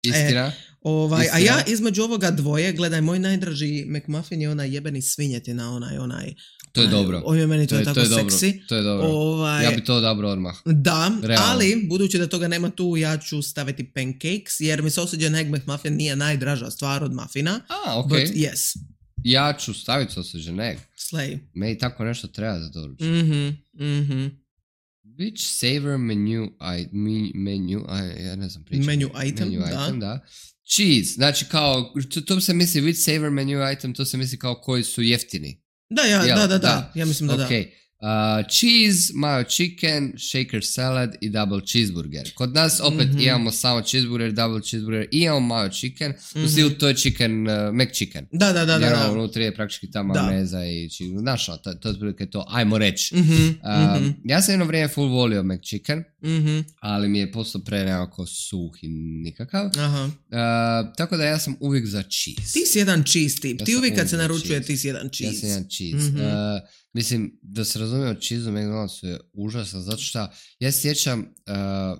Istina. Ovaj, a Istina. ja između ovoga dvoje, gledaj, moj najdraži McMuffin je onaj jebeni svinjetina, onaj, onaj. To je onaj- dobro. On je meni to, To je je, tako to je dobro. seksi. To je dobro. Ovaj, Ja bi to odabrao odmah. Da, Realno. ali budući da toga nema tu, ja ću staviti pancakes, jer mi sausage and egg McMuffin nije najdraža stvar od muffina. A, ok. But yes, Ja ću staviti sausage and egg. slay. Meni tako nešto treba za doručak. Mhm, mhm. Which savor menu, I, me, menu, I, ja ne znam pričati. Menu item, menu da. item, da. Cheese, znači kao, to, to se misli, which savor menu item, to se misli kao koji su jeftini. Da, ja, Jel, da, da, da, da. ja mislim da da. Ok, uh, cheese, mayo chicken, shaker salad i double cheeseburger. Kod nas opet Mhm. imamo samo cheeseburger, double cheeseburger i imamo mayo chicken, u stilu to je chicken, uh, McChicken. Da, da, da, da. Jer ono, da. unutra je praktički ta Da. majoneza i chicken. Znaš, ono, to, to je otprilike to, ajmo reći. Mhm, Uh, mhm, ja sam jedno vrijeme full volio McChicken, mhm. ali mi je postao pre nekako suh i nikakav. Aha. Uh, tako da ja sam uvijek za cheese. Ti si jedan cheese tip. Ja Ti sam uvijek kad uvijek se za naručuje, cheese. ti si jedan Ja cheese. sam jedan cheese. Mhm. Uh, mislim, da se razumije, cheese u McDonald'su je užasan, zato što ja se sjećam, uh,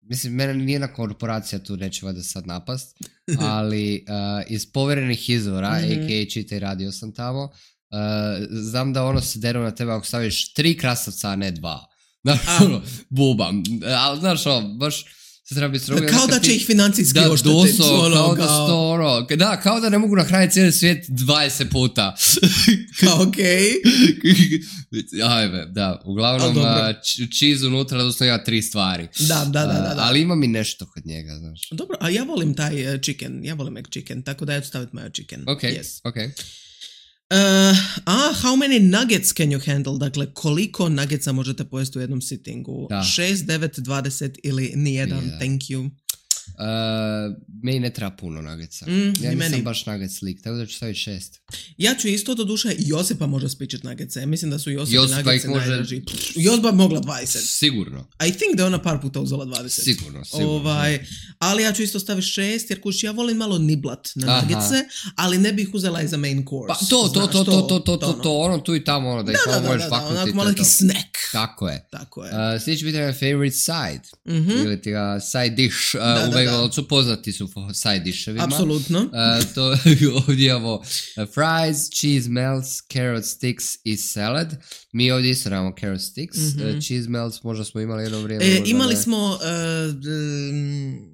mislim, mene nijedna korporacija tu neće valjda sad napast, ali uh, iz povjerenih izvora, Mhm. a k a čitaj, radio sam tamo, uh, znam da ono se deru na tebe ako staviš tri krastavca, a ne dva. Znaš, A. ono, bubam. Ali, znaš, ono, baš se treba biti strogo. Kao da će ih financijski Da, oštetiti. doslovno, ono, kao da su to ono, da, kao da ne mogu nahraniti cijeli svijet dvadeset puta. Kao okej. Ajme, da, uglavnom Al dobro. a, č- cheese unutra doslovno ima tri stvari. Da, da, da, da, A, da. ali ima mi nešto kod njega, znaš. Dobro, a ja volim taj uh, chicken, ja volim McChicken, tako da ja ću staviti mayo chicken. Ok, Yes. ok. Uh, a, how many nuggets can you handle? Dakle, koliko nuggetsa možete pojesti u jednom sittingu? Da. šest, devet, dvadeset ili nijedan? Nijedan. Thank you. Uh, meni ne treba puno nuggetsa. Mm, ja ni nisam meni. baš nuggets lik, tako da ću staviti šest. Ja ću isto do duše Josipa može spičiti nuggetse. Ja mislim da su Josipi Josipa nuggets ih može- najdraži. Pff, Josipa bi mogla dvadeset. Sigurno, I think da je ona par puta uzela dvadeset. sigurno, sigurno. Ovaj, ali ja ću isto staviti šest, jer kuš, ja volim malo niblat na Aha. nuggetse, ali ne bih uzela i za main course. Pa to, to, Znaš, to, to, to, to, to, ono. to, ono tu i tamo, ono, da ih Da, da, malo da, možeš da, da, vaknuti. onako to malo je neki to. snack. Tako je. Tako je. Uh, sljedeći pitanje je favorite side. Mhm. Ili ti ga side dish. Uh, Da, u da, McDonald'su poznati su po side dishevima. Apsolutno. Uh, to ovdje imamo uh, fries, cheese melts, carrot sticks i salad. Mi ovdje isto imamo carrot sticks. Mhm. Uh, cheese melts možda smo imali jedno vrijeme. E, možda imali ne. smo uh, d-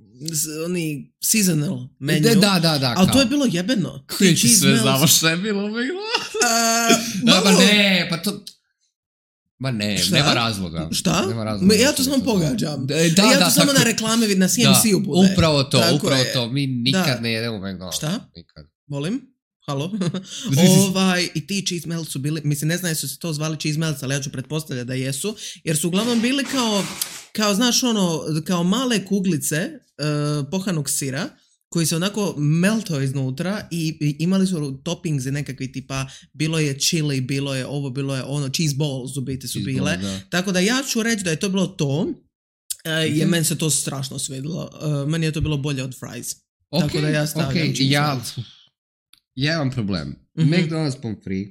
oni seasonal menu. Da, da, da. da ali to je bilo jebeno. Koji ti sve znamo što je bilo u McDonald's? Da, ma ne, pa to... Ma ne, šta? nema razloga. Šta? Nema razloga. Ja to samo pogađam. Da, da, ja to da, samo tako... na reklame na C M C-u bude. Upravo to, tako upravo je. to. Mi nikad da. ne jedemo McDonald's. Šta? Nikad. Molim? Halo? ovaj, i ti cheese melts su bili, mislim ne znam jesu se to zvali cheese melts, ali ja ću pretpostavljati da jesu, jer su uglavnom bili kao, kao znaš ono, kao male kuglice uh, pohanog sira, koji se onako meltao iznutra i, i imali su toppings i nekakvi tipa, bilo je chili, bilo je ovo, bilo je ono, cheese balls u biti su cheese bile. Ball, da. Tako da ja ću reći da je to bilo to, uh, mm-hmm. jer meni se to strašno svidilo. Uh, meni je to bilo bolje od fries. Okay, tako da ja stavljam okay. cheese ja, melts. Ja imam problem. Mm-hmm. McDonald's pomfrit.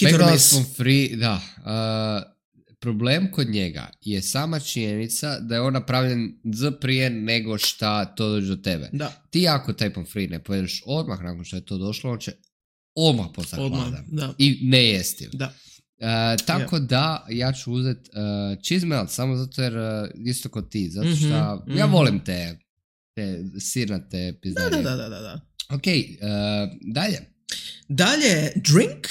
McDonald's pomfrit, da. Uh, problem kod njega je sama činjenica da je on napravljen z prije nego šta to dođe do tebe. Da. Ti ako taj pomfrit ne pojedeš odmah nakon što je to došlo, on će odmah postati hladan. I ne jestiv. Da. Uh, tako yeah. da ja ću uzeti uh, cheese melt samo zato jer uh, isto kod ti. Zato što mm-hmm. ja volim te, te sirnate pizdarije. Da, da, da, da, da. Ok, uh, dalje. Dalje, drink.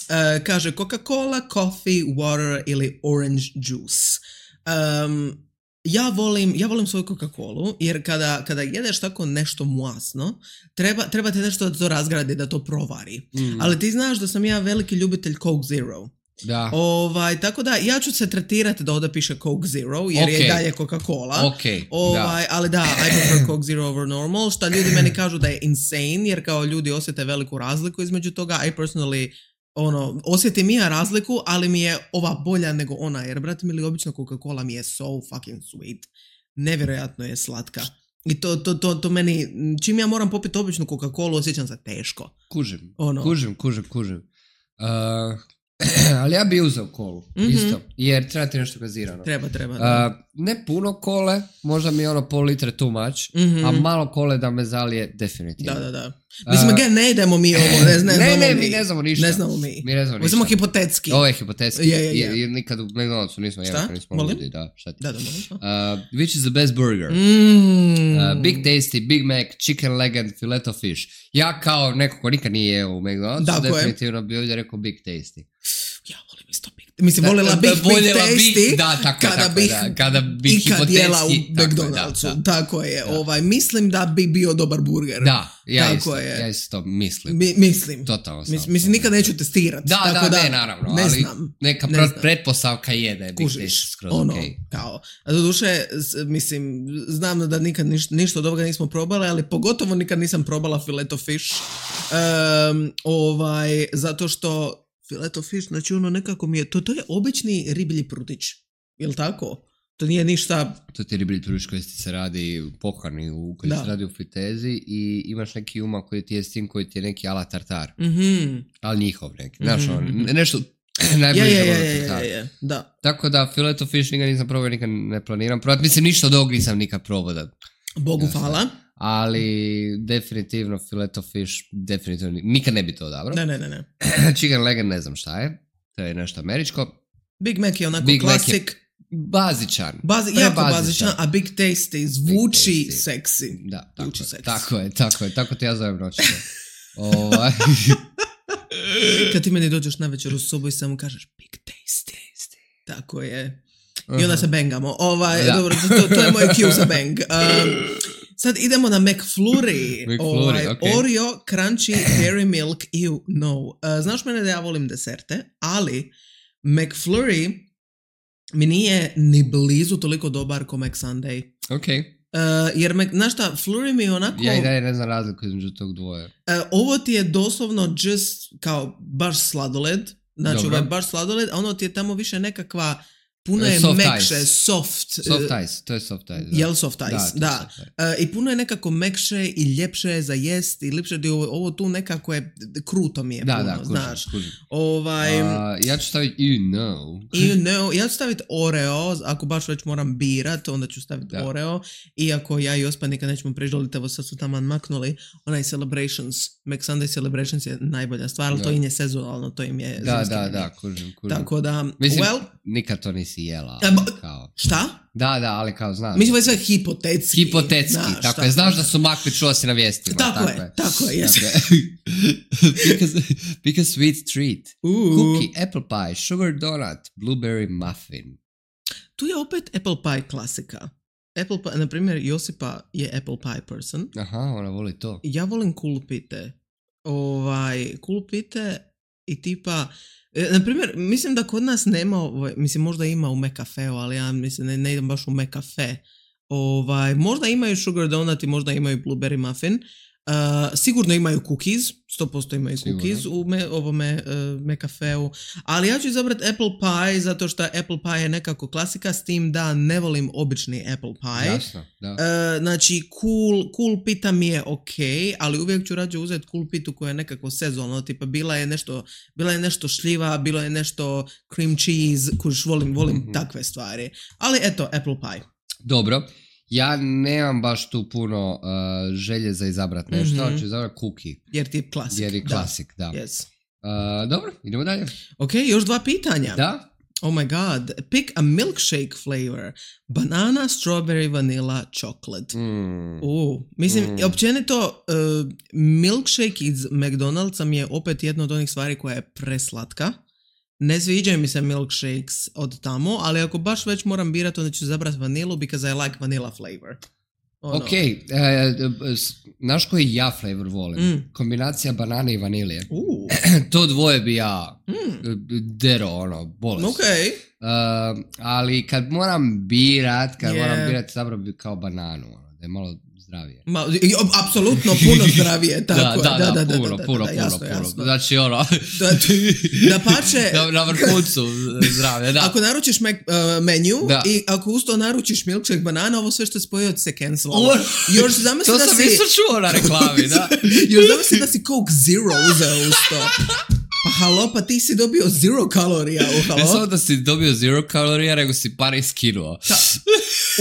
Uh, kaže Coca-Cola, coffee, water ili orange juice. Um, ja volim, ja volim svoju Coca-Colu jer kada, kada jedeš tako nešto masno, treba, treba te nešto da to razgradi, da to provari. Mm. Ali ti znaš da sam ja veliki ljubitelj Coke Zero. Da. Ovaj, tako da ja ću se tretirati da ovdje piše Coke Zero jer okay. je dalje Coca-Cola. Okay. Ovaj, da. Ali da, I prefer Coke Zero over normal, što ljudi meni kažu da je insane jer kao ljudi osjete veliku razliku između toga. I personally ono, osjetim ja razliku, ali mi je ova bolja nego ona, jer brate mili, obično Coca-Cola mi je so fucking sweet. Nevjerojatno je slatka. I to, to, to, to meni, čim ja moram popiti običnu Coca-Colu, osjećam se teško. Kužim, ono. kužim, kužim, kužim. Uh, ali ja bi uzeo kolu, mm-hmm. isto, jer treba ti nešto gazirano. Treba, treba. Da. Uh, ne puno kole, možda mi je ono pol litre too much, mm-hmm. a malo kole da me zalije definitivno. Da, da, da. Mislim, uh, ne idemo mi ovo, ne, ne, ne, ne, mi, mi ne znamo ništa. Ne znamo mi. Mi ne znamo ništa. Samo hipotetski. Ovo je hipotetski. Je, je, je. Jer nikad u McDonald'su nismo jeli, kad nismo ljudi. Da, šta ti? Da, da, molim. Uh, which is the best burger? Mm. Uh, Big Tasty, Big Mac, Chicken Legend, Filet of Fish. Ja kao neko ko nikad nije jeo u McDonald'su, definitivno bi ovdje rekao Big Tasty. Ja volim isto Big Tasty. Mislim, voljela bih Big Tasty da, tako, kada tako, bih da, kada bih ikad jela u McDonald'su. Da, da. Tako je. Da. Ovaj, mislim da bi bio dobar burger. Da, ja tako isto, je. ja isto mislim. Mi, mislim. Totalno sam. Mis, mislim, nikad neću testirati. Da, tako da, da, ne, naravno. Ne ali znam. Neka ne pr- znam. pretpostavka je da je Big Tasty skroz ono, okej. Kao. A do duše, mislim, znam da nikad niš, ništa od ovoga nismo probali, ali pogotovo nikad nisam probala Filet of Fish. Um, ovaj, zato što Filet of Fish, znači ono nekako mi je, to, to je obični riblji prutić, jel' tako? To nije ništa... To ti je riblji prutić koji se radi pohani, u, koji da. se radi u fritezi i imaš neki umak koji ti je s tim koji ti je neki ala tartar. Mm-hmm. Ali njihov neki, mm-hmm. znaš ono, nešto... najbliže je, je, je, je, je, da. Tako da Filet of Fish nikad nisam probao, nikad ne planiram probati. Mislim, ništa od ovog nisam nikad probao da... Bogu ja, hvala. Ali definitivno Filet of Fish, definitivno nikad ne bi to odabrao. Ne, ne, ne, ne. Chicken Legend ne znam šta je. To je nešto američko. Big Mac je onako Big klasik. Bazičan. Bazi, jako bazičan, a Big Tasty zvuči Big tasty. seksi. Da, tako, zvuči je, seksi. tako je, tako je, tako te ja zovem noćno. ovaj. Kad ti meni dođeš na večer u sobu i samo kažeš Big Tasty. Tako je. I onda se bangamo. Ovaj, dobro, to, to je moj cue za bang. Um, sad idemo na McFlurry. McFlurry, ovaj, okay. Oreo, Crunchy, Dairy Milk, ew, no. Uh, znaš mene da ja volim deserte, ali McFlurry mi nije ni blizu toliko dobar ko McSunday. Ok. Uh, jer, me, znaš šta, Flurry mi je onako... Ja i dalje ne znam razliku između tog dvoje. Uh, ovo ti je doslovno just kao baš sladoled. Znači, ovo je baš sladoled, a ono ti je tamo više nekakva... Puno je soft mekše, ice. soft. Soft ice, to je soft ice. Da. Jel soft ice, da. da. Soft ice. Uh, I puno je nekako mekše i ljepše za jest i lipše. Ovo, ovo tu nekako je, kruto mi je da, puno, da, kužim, znaš. Kužim. Ovaj, uh, ja ću staviti you know. You know. Ja ću staviti Oreo, ako baš već moram birat, onda ću staviti da. Oreo. Iako ja i Ospa nikad nećemo preždoliti, evo sad su tamo maknuli. Onaj Celebrations, McSunday Celebrations je najbolja stvar, ali to im je sezonalno, to im je... Da, da, da, kužim, kužim. Tako da, mislim, well... nikad to nisi nisi jela. A, ba, kao. šta? Da, da, ali kao znaš. Mislim da je sve hipotetski. Hipotetski, znaš, tako je. Znaš da su makli, čuo si na vijestima. Tako, tako je, je, tako je, jesi. pick, a, pick a sweet treat. Uh. Cookie, apple pie, sugar donut, blueberry muffin. Tu je opet apple pie klasika. Apple pie, na primjer, Josipa je apple pie person. Aha, ona voli to. Ja volim kulpite. Ovaj, kulpite i tipa... Na primjer, mislim da kod nas nema, ovaj, mislim možda ima u McCafeu, ali ja mislim ne, ne idem baš u McCafe. Ovaj, možda imaju sugar donut i možda imaju blueberry muffin. Uh, sigurno imaju cookies, sto posto imaju sigurno. Cookies u me, ovome uh, McCafeu, ali ja ću izabrati apple pie zato što apple pie je nekako klasika, s tim da ne volim obični apple pie. Jasno, da. Uh, znači cool, cool pita mi je ok, ali uvijek ću rađe uzeti cool pitu koja je nekako sezonalno, tipa bila je nešto, bila je nešto šljiva, bilo je nešto cream cheese, kuš volim, volim mm-hmm. takve stvari. Ali eto, apple pie. Dobro. Ja nemam baš tu puno uh, želje za izabrat nešto, mm-hmm. ali ću izabrat cookie. Jer ti je klasik. Jer je klasik, da. da. Yes. Uh, dobro, idemo dalje. Ok, još dva pitanja. Da? Oh my god. Pick a milkshake flavor. Banana, strawberry, vanilla, chocolate. Mm. Uh, mislim, mm. općenito, uh, milkshake iz McDonald'sa mi je opet jedna od onih stvari koja je preslatka. Ne sviđaju mi se milkshakes od tamo, ali ako baš već moram birati, onda ću zabrati vanilu because I like vanilla flavor. Oh, ok, no. e, znaš koji ja flavor volim? Mm. Kombinacija banane i vanilije. Uh. To dvoje bi ja mm. dero, ono, bolest. Ok. Uh, ali kad moram birat, kad yeah. moram birat, zapravo bi kao bananu, ono, da je malo zdravije. Ma, apsolutno puno zdravije, tako da, je. Da, da, da, da, puno, da, puno, da, da, jasno, puno, jasno. puno. Znači, ono... da, da pače... na, na vrhuncu zdravije, da. Ako naručiš me, uh, menju da. i ako usto naručiš milkshake banana, ovo sve što je spojio se cancelalo. Još zamisli to da sam si... isto čuo na reklami, da. Još zamisli da si Coke Zero uzeo usto. Pa halo, pa ti si dobio zero kalorija u halo. Ne samo da si dobio zero kalorija, nego si pare skinuo. Ta,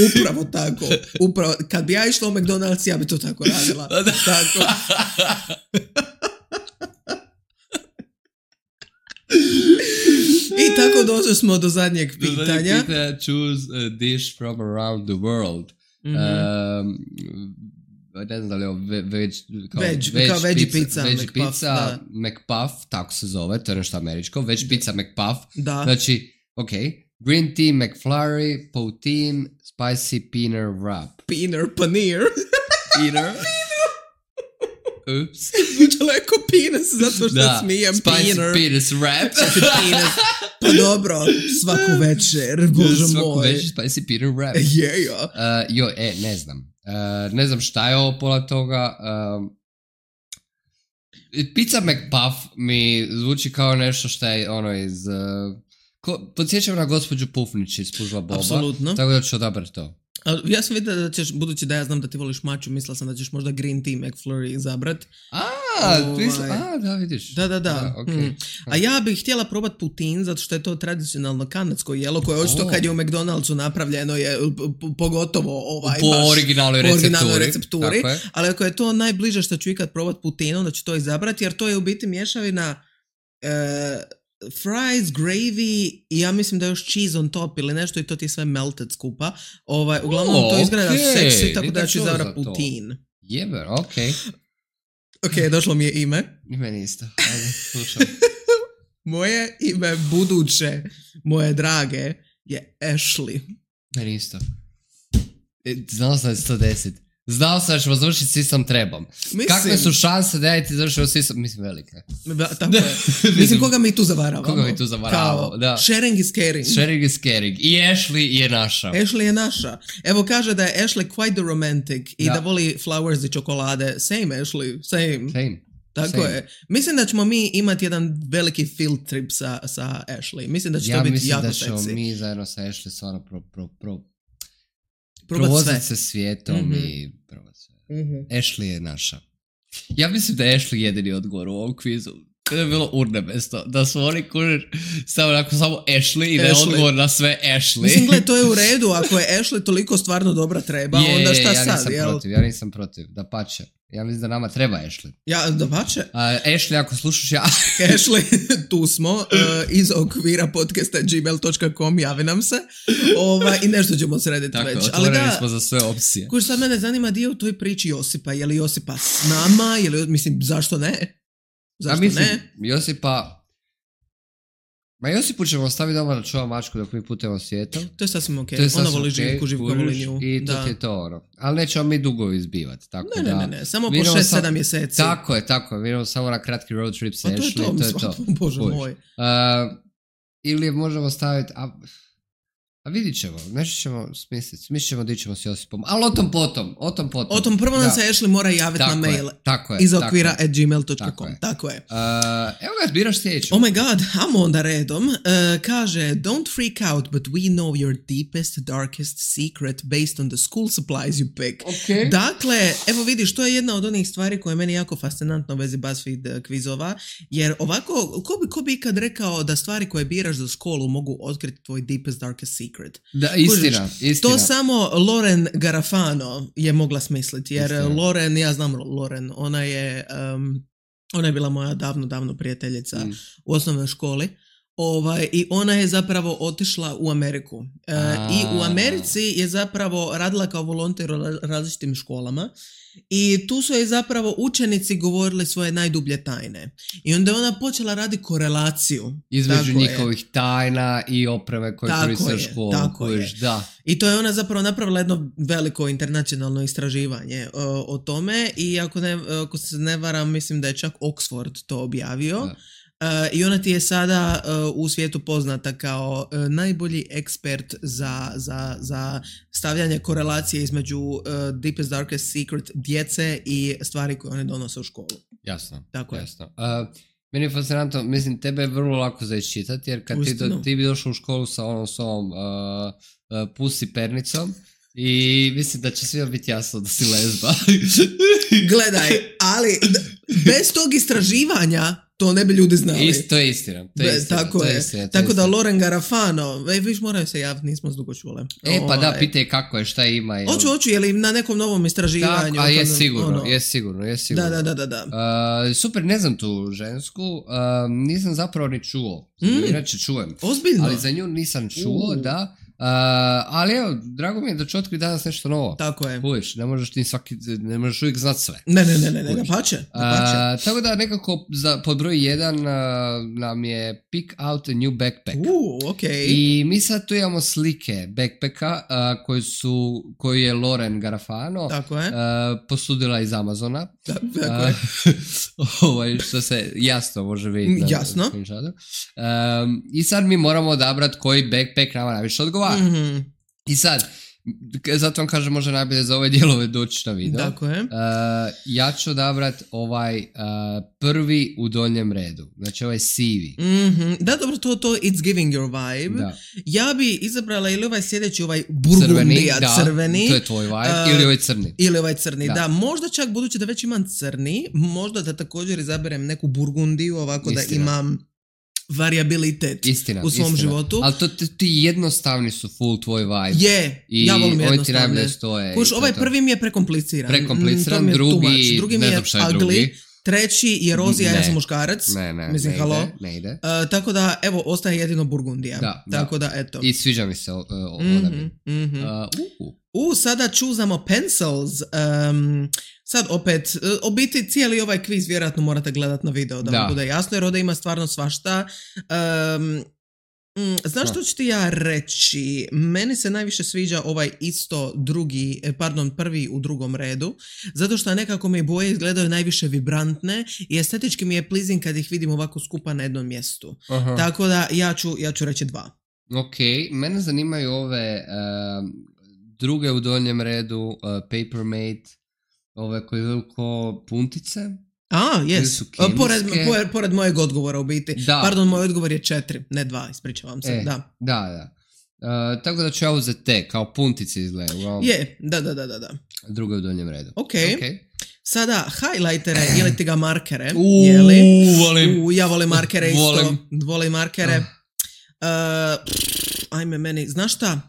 upravo tako. Upravo, kad bi ja išla u McDonald's, ja bi to tako radila. Da. Tako. I tako došli smo do zadnjeg pitanja. Do zadnjeg pitanja, choose a dish from around the world. Mm-hmm. Um, ne znam da li je ovo veg, kao veg, veg kao veggie pizza, pizza, veg McPuff, pizza da. McPuff, tako se zove, to je nešto američko, veg pizza McPuff, da. Znači, ok, green tea McFlurry, poutine, spicy peanut wrap. Peanut paneer. Peanut? Ups. Zvučalo je ko penis, zato što da. smijem. Spicy penis wrap. Penis. Pa dobro, svaku večer, bože moj. Svaku večer spicy peanut wrap. Je, jo. Uh, jo, e, ne znam. Uh, ne znam šta je ovo pola toga. Uh, pizza McPuff mi zvuči kao nešto što je ono iz... Uh, ko, podsjećam na gospođu Pufnić iz Pužla Boba. Apsolutno. Tako da ću odabrati to. Ja sam vidio da ćeš, budući da ja znam da ti voliš maču, mislila sam da ćeš možda green tea McFlurry izabrat. A, ovaj, misli, a, da vidiš. Da, da, da. da okay. mm. A ja bih htjela probat poutine, zato što je to tradicionalno kanadsko jelo, koje očito oh. kad je u McDonald'su napravljeno je pogotovo ovaj, po originalnoj po recepturi. recepturi. Ali ako je to najbliže što ću ikad probat poutine, onda ću to izabrati, jer to je u biti mješavina... Uh, fries, gravy i ja mislim da još cheese on top ili nešto i to ti je sve melted skupa. Ovaj, uglavnom oh, to izgleda okay. seksi, tako da ću izabrati poutine. Jebe, okej. Okay. Ok, došlo mi je ime. Ime isto. Ajde, slušam. Moje ime buduće, moje drage, je Ashley. Meni isto. Znao sam sto deset. Znao sam da ćemo završiti sistem trebom. Mislim, kakve su šanse da ja ti završio sistem? Mislim, velike. Da, tako je. Mislim, koga mi tu zavaravamo? Koga mi tu zavaravamo, da. Sharing is caring. Sharing is caring. I Ashley je naša. Ashley je naša. Evo kaže da je Ashley quite the romantic i da, da voli flowers i čokolade. Same, Ashley. Same. Same. Tako Same. je. Mislim da ćemo mi imati jedan veliki field trip sa, sa Ashley. Mislim da će ja to biti jako seksi. Ja mislim da ćemo seksi. mi zajedno sa Ashley stvarno pro, pro, pro, provozati se svijetom mm-hmm. i provozati sve. Mm-hmm. Ashley je naša. Ja mislim da je Ashley jedini odgovor u ovom kvizu. To je bilo urnemesto. Da su oni kužiš samo, onako, samo Ashley i da je Ashley. odgovor na sve Ashley. Mislim, gled, to je u redu. Ako je Ashley toliko stvarno dobra treba, je, onda šta ja sad? nisam Jel? protiv, ja nisam protiv. Da pače. Ja mislim da nama treba Ashley. Ja, da pače. Uh, Ashley, ako slušaš ja... Ashley, tu smo, uh, iz okvira podcasta gmail dot com, javi nam se. Ova, I nešto ćemo srediti Tako, već. otvoreni Ali da, smo za sve opcije. kuž, sad mene zanima dio u toj priči Josipa. Je li Josipa s nama? Je li, mislim, zašto ne? Zašto A mislim, ne? Josipa... Ma Josipu ćemo ostaviti doma da čuva mačku dok mi putujemo svijetom. To je sasvim ok. To je Ona sasvim voli ok, živku, živka kužiš, voli nju. I to Da. ti je to ono. Ali nećemo mi dugo izbivati. Tako Ne, ne, da, ne, ne, samo mi po idemo šest sam- sedam mjeseci. Tako je, tako je. Mi idemo samo na kratki road trip sa A to je Ashley, to, to je mislim, to. Bože Kužiš. moj. Uh, ili možemo staviti... A, a vidit ćemo, nešto ćemo smisliti. Smislit ćemo di ćemo s Josipom. Ali o tom potom, o tom potom. O tom prvo nam Da. se Ashley mora javiti Tako na je, mail. tako je, Iz tako okvira je. at gmail dot Tako com. je. Tako je. Uh, evo ga, biraš sljedeću. Oh my god, amo onda redom. Uh, kaže, don't freak out, but we know your deepest, darkest secret based on the school supplies you pick. Okay. Dakle, evo vidiš, to je jedna od onih stvari koje je meni jako fascinantno u vezi BuzzFeed uh, kvizova, jer ovako, ko bi, ko bi ikad rekao da stvari koje biraš za školu mogu otkriti tvoj deepest, darkest secret? Da, istina, istina. To samo Lauren Garafano je mogla smisliti, jer Istina. Lauren, ja znam Lauren, ona je, um, ona je bila moja davno, davno prijateljica Mm. u osnovnoj školi. Ovaj, i ona je zapravo otišla u Ameriku. E, A. I u Americi je zapravo radila kao volonter u ra- različitim školama i tu su joj zapravo učenici govorili svoje najdublje tajne. I onda je ona počela raditi korelaciju. Između Tako je. njihovih tajna i opreme koje Tako koriste u je, školu. tako kužiš, je. Da. I to je ona zapravo napravila jedno veliko internacionalno istraživanje o, o tome i ako, ne, ako se ne varam, mislim da je čak Oxford to objavio. Da. Uh, I ona ti je sada uh, u svijetu poznata kao uh, najbolji ekspert za, za, za stavljanje korelacije između uh, deepest, darkest secret djece i stvari koje one donose u školu. Jasno. Tako je. jasno. Uh, meni je fascinantno, mislim, tebe je vrlo lako za iščitati, jer kad ti, do, Uistinu. ti bi došao u školu sa onom svom uh, uh, pusi pernicom i mislim da će svima biti jasno da si lezba. Gledaj, ali d- bez tog istraživanja to ne bi ljudi znali. Ist, to je istina. To je Be- istina, tako to je. istina, to je Tako da istina. Lauren Garafano, e, viš moraju se javiti, nismo s dugo čule. E, pa da, Ovaj, pitaj kako je, šta ima. jel- Hoću, hoću, je li na nekom novom istraživanju? Tako, a je Ono- sigurno, ono- je sigurno, je sigurno. Da, da, da, da. da. Uh, super, ne znam tu žensku, uh, nisam zapravo ni čuo. Mm. Inače čujem. Ozbiljno? Ali za nju nisam čuo, U. da. Uh, ali evo, drago mi je da ću otkriti danas nešto novo. Tako je. Kužiš, ne možeš ti svaki, ne možeš uvijek znat sve. Ne, ne, ne, ne, ne, da Kužiš. pače, da pače. Uh, tako da nekako za, pod broj jedan uh, nam je pick out a new backpack. U, okej. I mi sad tu imamo slike backpacka uh, koji su, koji je Lauren Garafano Tako je. uh, posudila iz Amazona. Da, tako je. Uh, ovaj, što se jasno može vidjeti. na Jasno. screenshotu. Um, I sad mi moramo odabrati koji backpack nama najviše odgovara. Mhm, I sad, k- zato vam kažem može najbolje za ove dijelove doći na video. Tako je. Uh, ja ću odabrati ovaj uh, prvi u donjem redu. Znači ovaj sivi. Mhm, Da, dobro, to, to it's giving your vibe. Da. Ja bi izabrala ili ovaj sljedeći, ovaj Crveni, burgundija da, crveni. to je tvoj vibe. Uh, ili ovaj crni. Ili ovaj crni, da. Da. Možda čak, budući da već imam crni, možda da također izaberem neku burgundiju, ovako da Istina. imam variabilitet Istina, u svom istina. životu. Ali to ti ti jednostavni su full tvoj vibe. Je, I ja volim oni ti jednostavne. najbolje stoje. Kuš, i to ovaj je to. prvi mi je prekompliciran. Prekompliciran, Mm, to mi je drugi, too much. drugi mi ne je znam šta je ugly, drugi. treći je rozija, ja Ne. sam muškarac. Ne, ne, Mislim, ne halo. ide, ne ide. Uh, tako da, evo, ostaje jedino Burgundija. Da, da. tako da, eto. I sviđa mi se uh, Mhm, odabir. mhm. Uh, uh, U, sada čuzamo pencils. Um, sad opet, uh, u biti cijeli ovaj kviz vjerojatno morate gledati na video da, Da. vam bude jasno, jer ovdje ima stvarno svašta. Um, mm, znaš što ću ti ja reći? Meni se najviše sviđa ovaj isto drugi, eh, pardon, prvi u drugom redu, zato što nekako mi boje izgledaju najviše vibrantne i estetički mi je pleasing kad ih vidim ovako skupa na jednom mjestu. aha. Tako da ja ću, ja ću reći dva. Ok, mene zanimaju ove um, druge u donjem redu, uh, Papermate, ove koje idu ko puntice. A, Ili jes. su Pored, kemijske. pored, pored mojeg odgovora u biti. Da. Pardon, moj odgovor je četiri, ne dva, ispričavam se. E, Da. Da, da. Uh, tako da ću ja uzeti te, kao puntice izgledaju. Uglavnom, Je, da, da, da, da, da. druge u donjem redu. Ok. Ok. Sada, highlightere ili ti ga markere, Uuu, jeli? volim. U, ja volim markere isto. Volim. Volim markere. Oh. Uh, pff, ajme meni, znaš šta?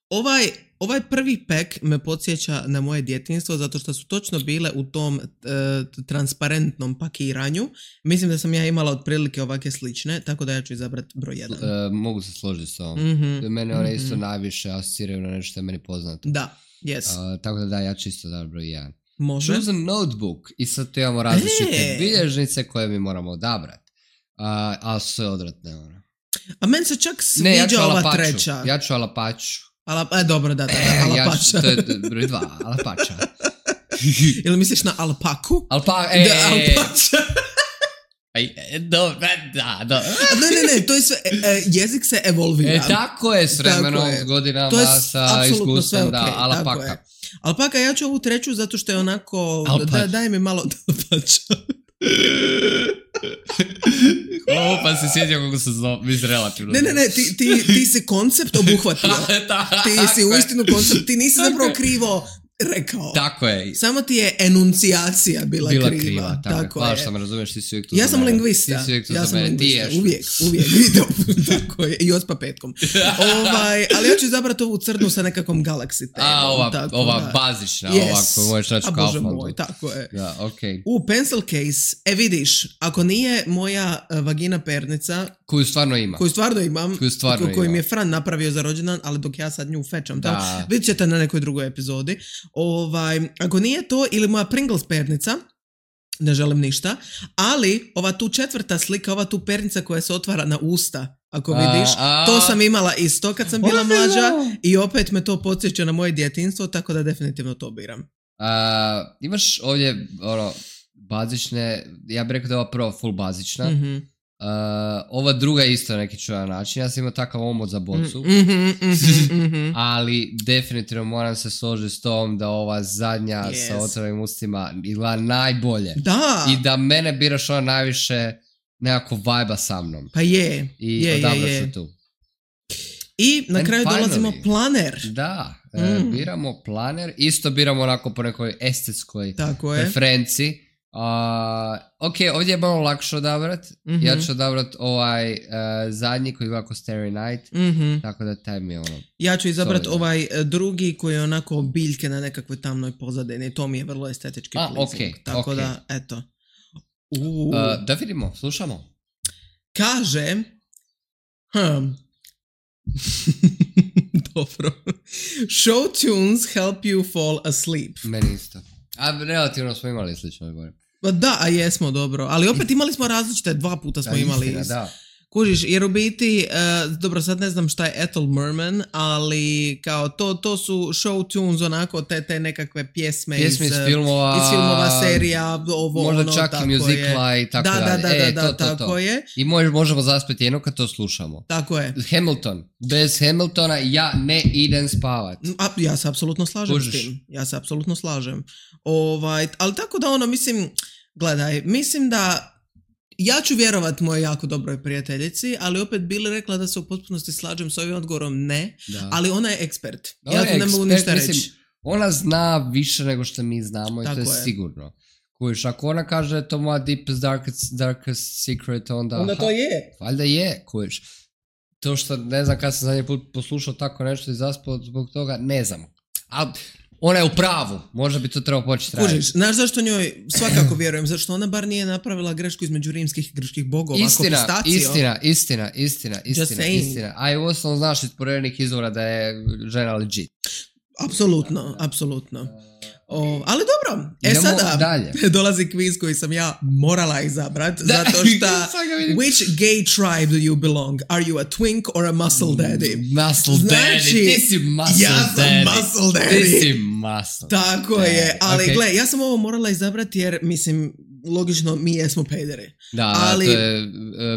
Ovaj, ovaj prvi pek me podsjeća na moje djetinjstvo zato što su točno bile u tom uh, transparentnom pakiranju. Mislim da sam ja imala otprilike ovakve slične, tako da ja ću izabrati broj jedan. Uh, mogu se složiti s ovom. Mm-hmm. Mene one mm-hmm. isto najviše asociraju na nešto što je meni poznato. Da, yes. Uh, tako da da, ja ću isto da broj jedan. Može. Choose a notebook. I sad tu imamo različite e. bilježnice koje mi moramo odabrati. Uh, ali sve odvratne. Ono. A meni se čak sviđa ne, ja ću ova alapaču. treća. Ja ću alapaču. Ala, e, dobro, da, da, da, E, alapača. ja ću, to je broj dva, alapača. Ili misliš na alpaku? Alpa, e, Da, alpača. Aj, dobro, da, da. Ne, ne, ne, to je sve, e, jezik se evolvira. E, tako je s vremenom, s godinama, to je sa iskustvom, okay, da, alpaka. Alpaka, ja ću ovu treću zato što je onako, da, daj mi malo alpača. O, pa se sjetio kako se zove, mislim relativno. Ne, ne, ne, ti, ti, ti si koncept obuhvatio. Ti si uistinu koncept, ti nisi zapravo krivo rekao. Tako je. Samo ti je enuncijacija bila, bila kriva. kriva. Tako, tako je. Hvala što me razumiješ, ti si uvijek tu ja za sam mene. lingvista. Ti si uvijek tu ja za mene. Ti ješ. Uvijek, uvijek. Video. Tako je. I ospa petkom. ovaj, ali ja ću izabrati ovu crnu sa nekakvom Galaxy temom. A, ova, tako, ova da. bazična, yes. ova koju možeš naći u Kauflandu. Moj, tako je. Da, okej. Okay. U pencil case, e vidiš, ako nije moja uh, vagina pernica, koju stvarno ima. Koju stvarno imam. Koju stvarno ko, koju ima. mi je Fran napravio za rođendan, ali dok ja sad nju fečam. Da. Vidjet ćete na nekoj drugoj epizodi. Ovaj, ako nije to, ili moja Pringles pernica, ne želim ništa, ali ova tu četvrta slika, ova tu pernica koja se otvara na usta, ako vidiš, a, a, to sam imala isto kad sam bila mlađa i opet me to podsjeća na moje djetinjstvo, tako da definitivno to biram. A, imaš ovdje ono, bazične, ja bih rekao da je ova prva full bazična. Mm-hmm. Uh, ova druga je isto na neki čudan način. Ja sam imao takav omot za bocu. Mm-hmm, mm-hmm, mm-hmm. Ali definitivno moram se složiti s tom da ova zadnja yes. sa otvorenim ustima izgleda najbolje. Da. I da mene biraš ona najviše nekako vajba sa mnom. Pa je. I je, odabra je, je. se tu. I na And kraju finally, dolazimo planer. Da, mm. e, biramo planer. Isto biramo onako po nekoj estetskoj preferenciji. Uh, ok, ovdje je malo lakše odabrat. Mm-hmm. Ja ću odabrat ovaj uh, zadnji koji gleda kao Starry Night. Mm-hmm. Tako da taj mi je ono... Ja ću izabrat ovaj drugi koji je onako biljke na nekakvoj tamnoj pozadini. To mi je vrlo estetički A, pleasing. Okay, Tako okay. da, eto. Uh, da vidimo, slušamo. Kaže... Hmm. Dobro. Show tunes help you fall asleep. Meni isto. A relativno smo imali slično gore. Da, a jesmo, dobro. Ali opet imali smo različite, dva puta smo da, imali. Istina, da. Kužiš, jer u biti, uh, dobro, sad ne znam šta je Ethel Merman, ali kao to, to su show tunes, onako, te, te nekakve pjesme, pjesme iz, iz, filmova, iz filmova, serija, ovo, možda ono, čak i muzikla i tako da, dalje. Da, da, e, da, to, da, to, tako to. je. I mož, možemo zaspeti jedno kad to slušamo. Tako je. Hamilton. Bez Hamiltona ja ne idem spavat. A, ja se apsolutno slažem Kužiš. s tim. Ja se apsolutno slažem. Ovaj, ali tako da ono, mislim, gledaj, mislim da ja ću vjerovat moje jako dobroj prijateljici, ali opet Bili rekla da se u potpunosti slažem s ovim odgovorom ne, da. Ali ona je ekspert. Ona ja tu ne mogu ništa reći. Mislim, ona zna više nego što mi znamo i tako to je, je. sigurno. Kužiš, ako ona kaže da je to moja deepest, darkest, darkest secret, onda... Onda to je. Valjda je, kužiš. To što, ne znam kad sam zadnji put poslušao tako nešto i zaspao zbog toga, ne znam. Ali ona je u pravu, možda bi to trebao početi raditi. Kužiš, znaš zašto njoj svakako vjerujem, zašto ona bar nije napravila grešku između rimskih i grčkih bogova, istina, ako pistacio. Istina, istina, istina, istina, istina. A i uostalom znaš iz porednih izvora da je žena legit. Apsolutno, apsolutno. O, ali dobro, e idemo sada dalje. Dolazi kviz koji sam ja morala izabrat, zato što which gay tribe do you belong? Are you a twink or a muscle daddy? Muscle znači, daddy, ti si muscle ja sam daddy. muscle daddy. Ti si muscle Tako daddy. je, ali okay. gle, ja sam ovo morala izabrati jer, mislim, logično, mi jesmo pederi. Da, ali, to je uh,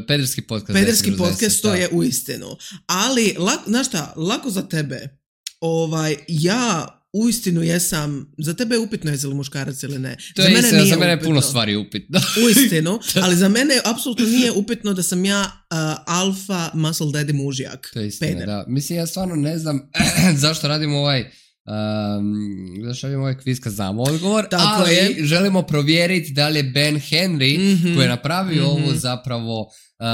pederski podcast. Pederski podcast, to je u istinu. Ali, lak, znaš šta, lako za tebe, ovaj, ja uistinu jesam, za tebe je upitno jesi li muškarac ili ne. To za je mene istina, nije za mene je upitno. puno stvari upitno. Uistinu, ali za mene apsolutno nije upitno da sam ja uh, alfa muscle daddy mužjak. To je istina, Peder. da. Mislim, ja stvarno ne znam zašto radimo ovaj Um, da šaljemo ovaj kviz kad znamo odgovor, Tako ali je. želimo provjeriti da li je Ben Henry Mm-hmm. koji je napravio Mm-hmm. ovo zapravo uh,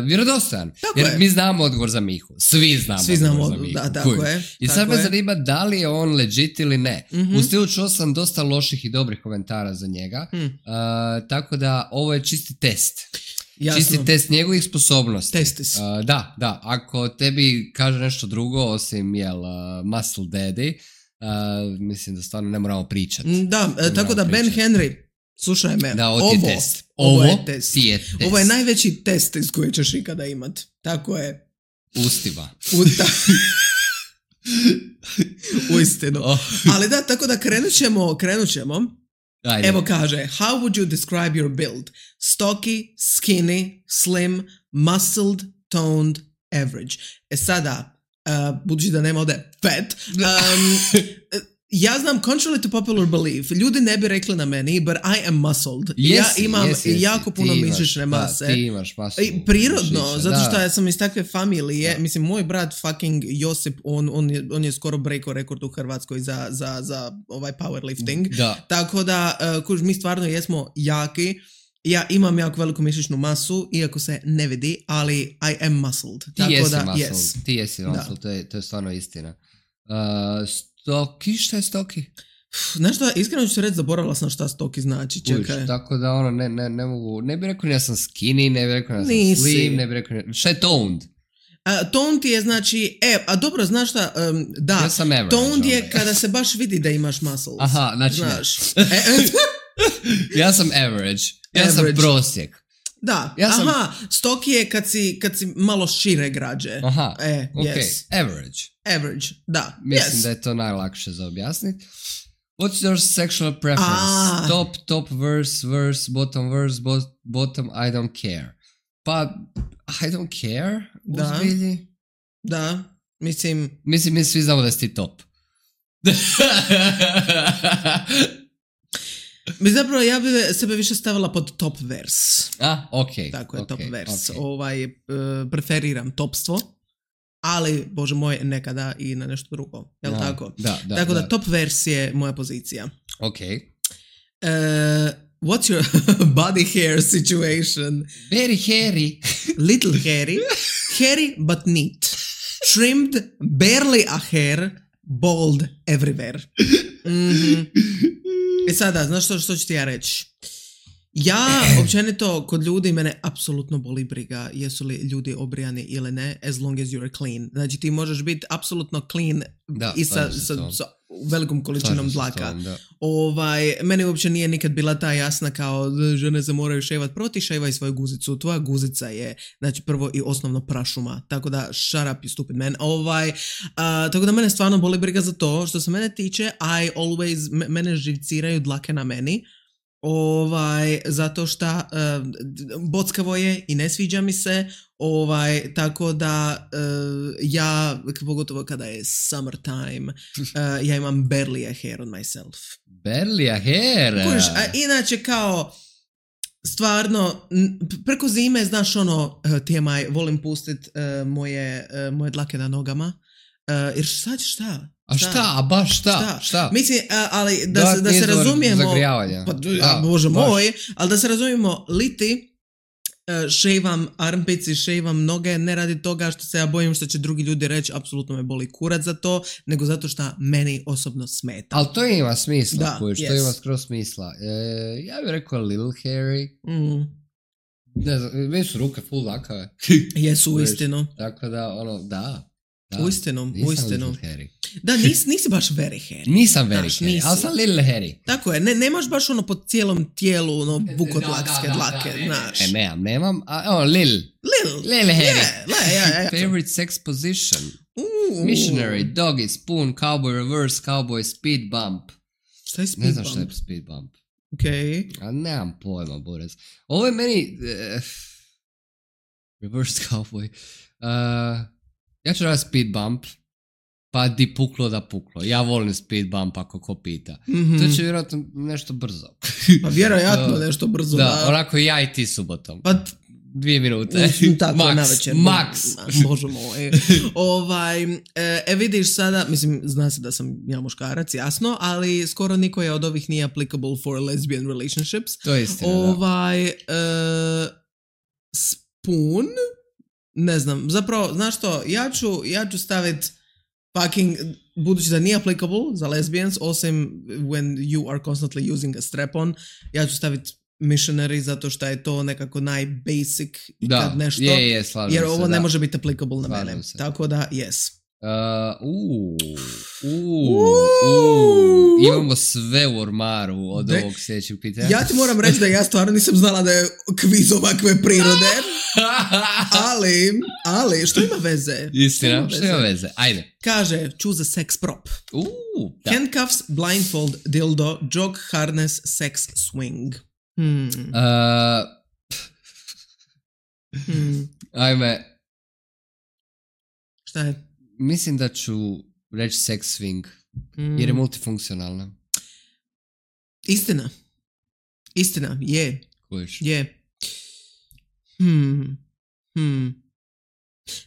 vjerodostojan. Tako Jer je. mi znamo odgovor za Mihu. Svi znamo Svi odgovor znamo, za Mihu. da, tako Kužiš? je. I tako sad me je. zanima da li je on legit ili ne. Mhm. U stilu čuo sam dosta loših i dobrih komentara za njega. Hmm. Uh, tako da ovo je čisti test. Jasno. Čisti test njegovih sposobnosti. Testis. Uh, da, da. Ako tebi kaže nešto drugo osim jel, uh, Muscle Daddy, uh, mislim da stvarno ne moramo pričati. Mm, Da, e, tako da Ben pričat. Henry, slušaj me, Da, ovo ti je test. ovo Ovo je test. ti je test. Ovo je najveći test iz koje ćeš ikada imat. Tako je. Ustima. U, da. Uistinu. Oh. Ali da, tako da krenut ćemo, krenut ćemo. Ajde. Evo kaže, how would you describe your build? Stocky, skinny, slim, muscled, toned, average. E sada, uh, budući da nema ovdje fat, um, ja znam, contrary to popular belief, ljudi ne bi rekli na meni, but I am muscled. Ja Jesi, imam jesi, jesi. jako puno Ti imaš, mišićne mase. Da, ti imaš masu I prirodno, mišića, zato što da. ja sam iz takve familije, Da. mislim, moj brat fucking Josip, on, on, je, on je skoro breakao rekord u Hrvatskoj za, za, za ovaj powerlifting. Da. Tako da, uh, kuž, mi stvarno jesmo jaki. Ja imam jako veliku mišićnu masu, iako se ne vidi, ali I am muscled. Ti Tako jesi da, muscle, yes. ti jesi Da. muscle, to je, to je stvarno istina. Uh, stoki, šta je stoki? Znaš šta, iskreno ću se reći, zaboravila sam šta stoki znači, čekaj. Uviš, tako da ono, ne, ne, ne mogu, ne bi rekao ni ja sam skinny, ne bi rekao ni ja sam Nisi. slim, ne bi rekao ni, šta je toned? Uh, toned je znači, e, a dobro, znaš šta, um, da, Ja sam average. toned je ovaj. kada se baš vidi da imaš muscles. Aha, znači ne. znaš. E, e, Ja sam average, ja sam Average. prosjek. Da, Ja sam- aha, stoki je kad si, kad si malo šire građe. Aha, E, ok, yes. average. Average, da, Mislim yes. da je to najlakše za objasniti. What's your sexual preference? Ah. Top, top verse, verse, bottom verse, bo- bottom, I don't care. Pa, I don't care? Da. Uzbilji? Da, mislim, Mislim, mi svi znamo da si ti top. mi zapravo ja bi sebe više stavila pod top vers. A, ok. Tako je, ok, top vers. ok. Ovaj, uh, preferiram topstvo, ali, bože moj, nekada i na nešto drugo. Jel Da, tako? Da, da. tako da, top vers je moja pozicija. Ok. Uh, what's your body hair situation? Very hairy. Little hairy, hairy but neat, trimmed, barely a hair, bald everywhere. Mhm. E sada, znaš što, što ću ti ja reći? Ja, općenito, kod ljudi mene apsolutno boli briga jesu li ljudi obrijani ili ne, as long as you're clean. Znači ti možeš biti apsolutno clean Da, i sa, slažem se s sa, tom. sa velikom količinom Slažem se s dlaka. tom, da. Ovaj, meni uopće nije nikad bila ta jasna kao žene se moraju ševat, prvo ti ševaj svoju guzicu, tvoja guzica je znači prvo i osnovno prašuma, tako da shut up you stupid man. Ovaj, a, tako da mene stvarno boli briga za to, što se mene tiče, I always, me- mene živciraju dlake na meni, ovaj, zato što uh, bockavo je i ne sviđa mi se, ovaj, tako da uh, ja, pogotovo kada je summertime, uh, ja imam barely a hair on myself. Barely a hair. Kužiš, a inače kao stvarno n- preko zime znaš ono uh, T M I, volim pustit uh, moje, uh, moje dlake na nogama uh, jer sad šta? A šta, a baš šta? Šta? Šta? Mislim, uh, ali da, Da, se, da se izvor razumijemo zagrijavanja. pa, Da, a, bože baš. moj, ali da se razumijemo liti uh, ševam armpici, ševam noge, ne radi toga što se ja bojim što će drugi ljudi reći apsolutno me boli kurac za to, nego zato što meni osobno smeta. Ali to ima smisla, Da, kužiš, to yes. ima skroz smisla. E, ja bih rekao little hairy. Mm, Ne znam, meni su ruke full lakave. jesu Kužiš, uistinu. Tako da, ono, da. da. Uistinu, Nisam uistinu. little hairy. Da, nis, nisi baš very hairy. Nisam very Znaš, hairy, nisi. ali sam little hairy. Tako je, ne, nemaš baš ono po cijelom tijelu ono vukodlakske Da, da, da, dlake, da, ne, znaš. Ne, nemam, nemam. A, o, lil. Little. Little hairy. Yeah, la, ja, ja, ja. Favorite sex position. Uuu. Missionary, doggy, spoon, cowboy, reverse, cowboy, speed bump. Šta je speed Ne znam bump? šta je speed bump. Okej. A nemam pojma, Boris. Ovo je meni... Uh, reverse cowboy. Uh, ja ću raditi speed bump. Pa di puklo da puklo. Ja volim speed bump ako ko pita. Mhm. To će vjerojatno nešto brzo. Pa vjerojatno Da. nešto brzo. Da, Da, onako ja i ti subotom. Pa t- dvije minute. Tako, Max, navečer. Max. Bože moj. Ovaj, e, vidiš sada, mislim, zna se da sam ja muškarac, jasno, ali skoro niko je od ovih nije applicable for lesbian relationships. To je istina, ovaj, e, spoon, ne znam, zapravo, znaš što, ja ću, ja ću staviti fucking, budući da nije applicable za lesbians, osim when you are constantly using a strap-on, ja ću staviti missionary zato što je to nekako najbasic i da, kad nešto, je, je, slažem jer se, ovo ne da. može biti applicable na Slažem mene. se. Tako da, yes. Uh, uh, uh, uh, imamo sve u ormaru od De, ovog sljedećeg pitanja. Ja ti moram reći da ja stvarno nisam znala da je kviz ovakve prirode, ali, ali, što ima veze? Istina, ima što ima veze? Ajde. Kaže, choose a sex prop. Uh, da. Handcuffs, blindfold, dildo, jog, harness, sex swing. Hmm. Uh, Hmm. ajme, Šta je? mislim da ću reći sex swing, Hmm. jer je multifunkcionalna. Istina. Istina, je. Kojiš? Je. Hmm. Hmm.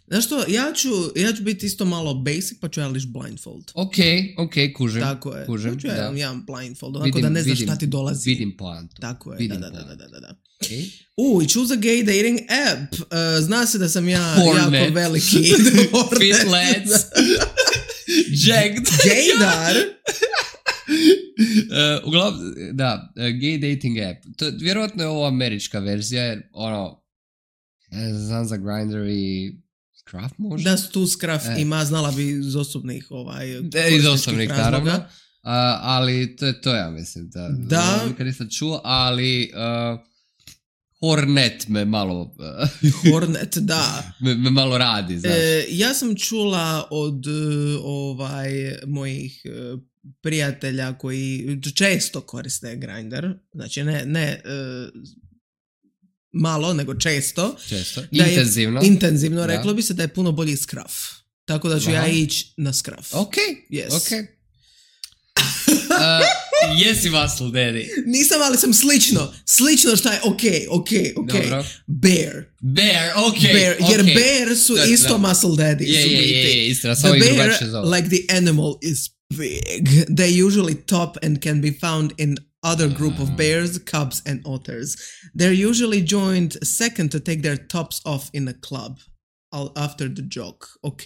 Znaš što, ja ću, ja ću biti isto malo basic, pa ću ja liš blindfold. Ok, ok, kužim. Tako je. Kužim, ja ću ja da. jedan blindfold, onako Vidim, da ne znaš vidim, šta ti dolazi. Vidim poantu. Tako je, Vidim da, da, da, poantu. da, da, da. Okay. U, i choose a gay dating app. Uh, zna se da sam ja Hornet. jako veliki. Fit lads. Jagged. Gaydar. Uh, uglavnom, da, uh, gay dating app. To, vjerojatno je ovo američka verzija, jer ono, ne znam za Grindr i Scruff možda? Da su tu Scruff E. ima, znala bi iz osobnih ovaj, De, iz korisničkih osobnih, razloga. naravno. Uh, ali to je to, ja mislim. Da, Da. Nikad nisam čuo, ali uh, Hornet me malo uh, Hornet, da. me, me malo radi, znaš. E, ja sam čula od uh, ovaj mojih uh, prijatelja koji često koriste Grindr, znači ne, ne uh, malo, nego često. Često. Da je Intenzivno. Intenzivno, Da. reklo bi se da je puno bolji Scruff. Tako da ću Aha. ja ići na Scruff. Ok, Yes. ok. Uh, jesi muscle daddy? Nisam, ali sam slično. Slično šta je ok, ok, ok. Dobro. Bear. Bear, ok. Bear, jer okay. bear su Da, isto da. muscle daddy. Je, su je, biti. je, je, istina, The samo ih bear, drugačije zove. like the animal, is big. They usually top and can be found in other group of bears, cubs and otters. They're usually joined second to take their tops off in a club. After the jog, ok.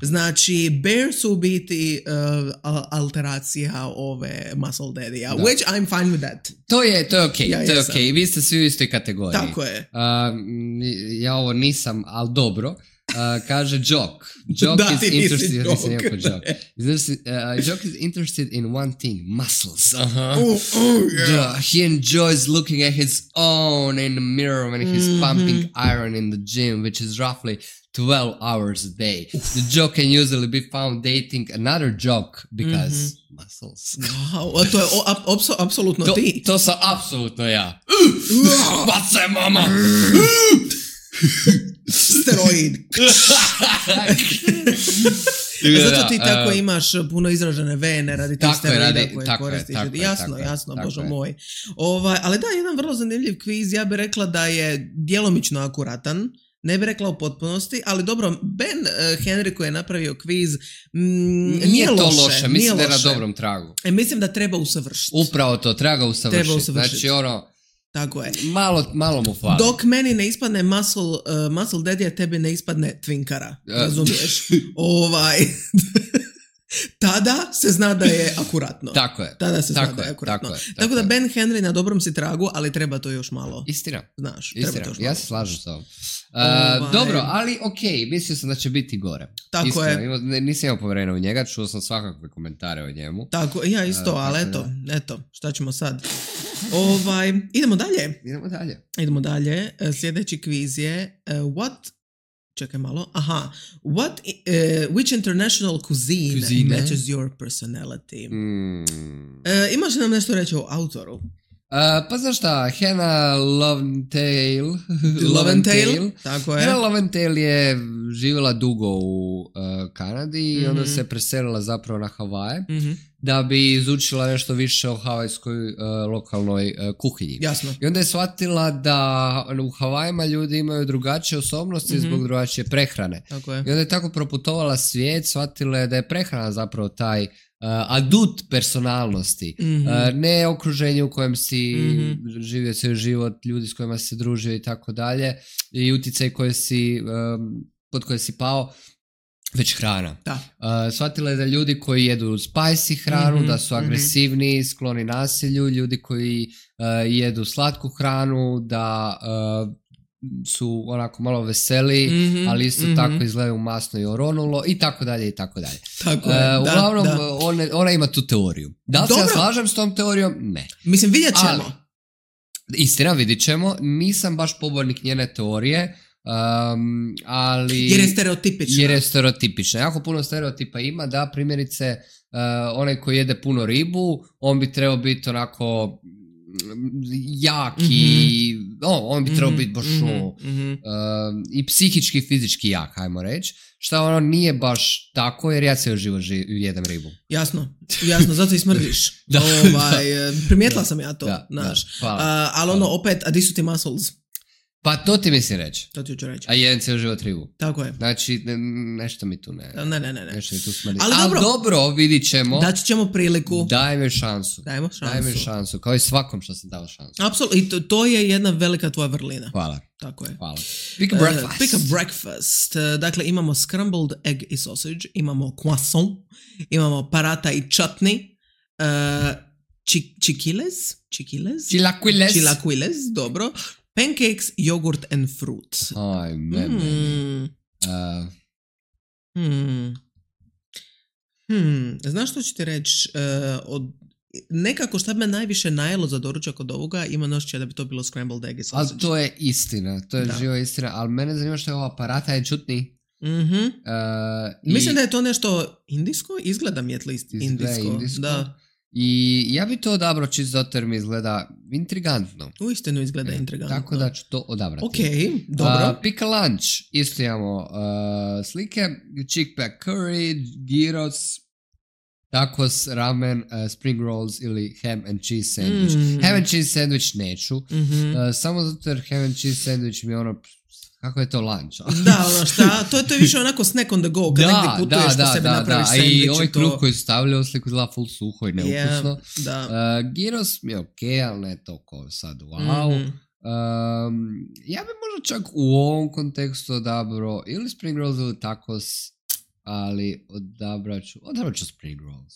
Znači, bear su u biti uh, alteracija ove muscle daddy-a, which I'm fine with that. To je, to je ok, Ja to je jesam. ok. Vi ste svi u istoj kategoriji. Tako je. Uh, ja ovo nisam, ali dobro. Uh, kaže Jock. Jock Da, is ti nisi interested, ja nisam Jock. jako Jock. Uh, Jock is interested in one thing, muscles. Uh-huh. Oh, oh, yeah. Yeah, he enjoys looking at his own in the mirror when he's Mhm. pumping iron in the gym, which is roughly twelve hours a day. The jock can usually be found dating another jock because muscles. Wow, a to je o, ap, apso, apsolutno To, ti. to sam apsolutno ja. Bace, mama! Steroid. Zato ti tako uh, imaš puno izražene vene radi tih Tako je, steroida radi- koje tako je, koristiš. tako je, Jasno, tako je, jasno, tako bože je. moj. Ovaj, ali da, jedan vrlo zanimljiv kviz, ja bih rekla da je djelomično akuratan. Ne bih rekla u potpunosti, ali dobro, Ben uh, Henry koji je napravio kviz, mm, nije, Nije to loše. loše, nije mislim da je na loše. dobrom tragu. E, mislim da treba usavršiti. Upravo to, treba ga usavršiti. Treba usavršiti. Znači ono, Tako je. malo, malo mu fali. Dok meni ne ispadne muscle, uh, muscle daddy, a tebi ne ispadne twinkara. Ja. Razumiješ? ovaj... Tada se zna da je akuratno. Tako je. Tada se tako zna da je je, akuratno. tako Tako, je, tako da je. Ben Henry na dobrom si tragu, ali treba to još malo. Istina. Znaš, treba Istina, to još ja malo. se slažem s ovom. Uh, Ovaj- Dobro, ali okej, mislio sam da će biti gore. Tako Iskreno, je. imao- ne- nisam imao povjerenja u njega, čuo sam svakakve komentare o njemu. Tako, ja isto, Uh, ali tako eto, eto, šta ćemo sad? Ovaj, idemo dalje. Idemo dalje. Idemo dalje. E, Sljedeći kviz je uh, what Čekaj malo. Aha. What, uh, which international cuisine, Cuisine? matches your personality? Mm. E, imaš li nam nešto reći o autoru? pa znaš šta, Hannah Loventail, Loventail, tako je. Hannah Loventail je živjela dugo u uh, Kanadi mm-hmm. i onda se preselila zapravo na Havaje mm-hmm. da bi izučila nešto više o havajskoj uh, lokalnoj uh, kuhinji. Jasno. I onda je shvatila da u Havajima ljudi imaju drugačije osobnosti mm-hmm. zbog drugačije prehrane. Tako je. I onda je tako proputovala svijet, shvatila je da je prehrana zapravo taj Uh, adut personalnosti, mm-hmm. uh, ne okruženje u kojem si mm-hmm. živio svoj život, ljudi s kojima si se družio i tako dalje i utjecaj koje si, um, pod koje si pao, već hrana. Da. Uh, shvatila je da ljudi koji jedu spicy hranu, mm-hmm. da su agresivni, mm-hmm. skloni nasilju, ljudi koji uh, jedu slatku hranu, da uh, su onako malo veseli, mm-hmm, ali isto mm-hmm. tako izgledaju masno i oronulo i tako dalje i tako dalje. Tako je, uh, da, uglavnom, da. Ona, ona ima tu teoriju. Da li se ja slažem s tom teorijom? Ne. Mislim, vidjet ćemo. Ali, istina, vidjet ćemo. Nisam baš pobornik njene teorije, um, ali... Jer je stereotipična. Jer je stereotipična. Jako puno stereotipa ima da, primjerice, uh, onaj koji jede puno ribu, on bi trebao biti onako... jak i mm-hmm. oh, on bi trebao mm-hmm. biti baš mm-hmm. uh, i psihički i fizički jak, hajmo reći, šta ono nije baš tako jer ja cijelo život ži- jedem ribu. Jasno, jasno, zato i smrdiš. da, ovaj, da. Primijetila da, sam ja to, da, znaš. Da, uh, ali ono opet, a di su ti muscles? Pa to ti mislim reći. To ti ću reći. A jedan cijel život ribu. Tako je. Znači, ne, nešto mi tu ne... Ne, ne, ne. ne. Nešto mi tu smrdi. Ali Al dobro. dobro, vidit ćemo. Daći ćemo priliku. Daj mi šansu. Dajmo šansu. Daj mi šansu. Kao i svakom što sam dao šansu. Apsolutno. I to, to je jedna velika tvoja vrlina. Hvala. Tako je. Hvala. Pick a breakfast. Uh, pick a breakfast. Uh, dakle, imamo scrambled egg i sausage, imamo croissant, imamo parata i chutney, uh, chi- chiquiles, chiquiles, Chilaquiles. Chilaquiles, dobro. Pancakes, yogurt and fruit. Aj, mene. Hmm. Uh, Hmm. Hmm. Znaš što ću ti reći? Uh, od nekako šta me najviše najelo za doručak od ovoga, ima nošće da bi to bilo scrambled egg i sausage. ali to je istina, to je Da. živa istina, ali mene zanima što je ova parata i čutni. Mhm. Uh, Mislim i, da je to nešto indijsko, izgleda mi at least Izgleda indijsko. indijsko. Da. I ja bi to odabrao čisto zato jer mi izgleda intrigantno. Uistinu izgleda intrigantno. Tako da ću to odabrati. Ok, dobro. Uh, pick a lunch. Isto imamo uh, slike. Chickpea curry, gyros, tacos, ramen, uh, spring rolls ili ham and cheese sandwich. Mm. Ham and cheese sandwich neću. Mhm. Uh, samo zato jer ham and cheese sandwich mi je ono... Kako je to lunch? Da, ono šta, to je, to je više onako snack on the go, kad negdje putuješ da, da sebi da, napraviš da. sandvič. I ovaj to... kruh koji su stavljali u sliku izgleda full suho i neukusno. Yeah, da. Uh, gyros mi je ok, ali ne toliko sad wow. Mm-hmm. Um, ja bi možda čak u ovom kontekstu odabrao ili spring rolls ili tacos, ali odabrat ću, odabrat ću spring rolls.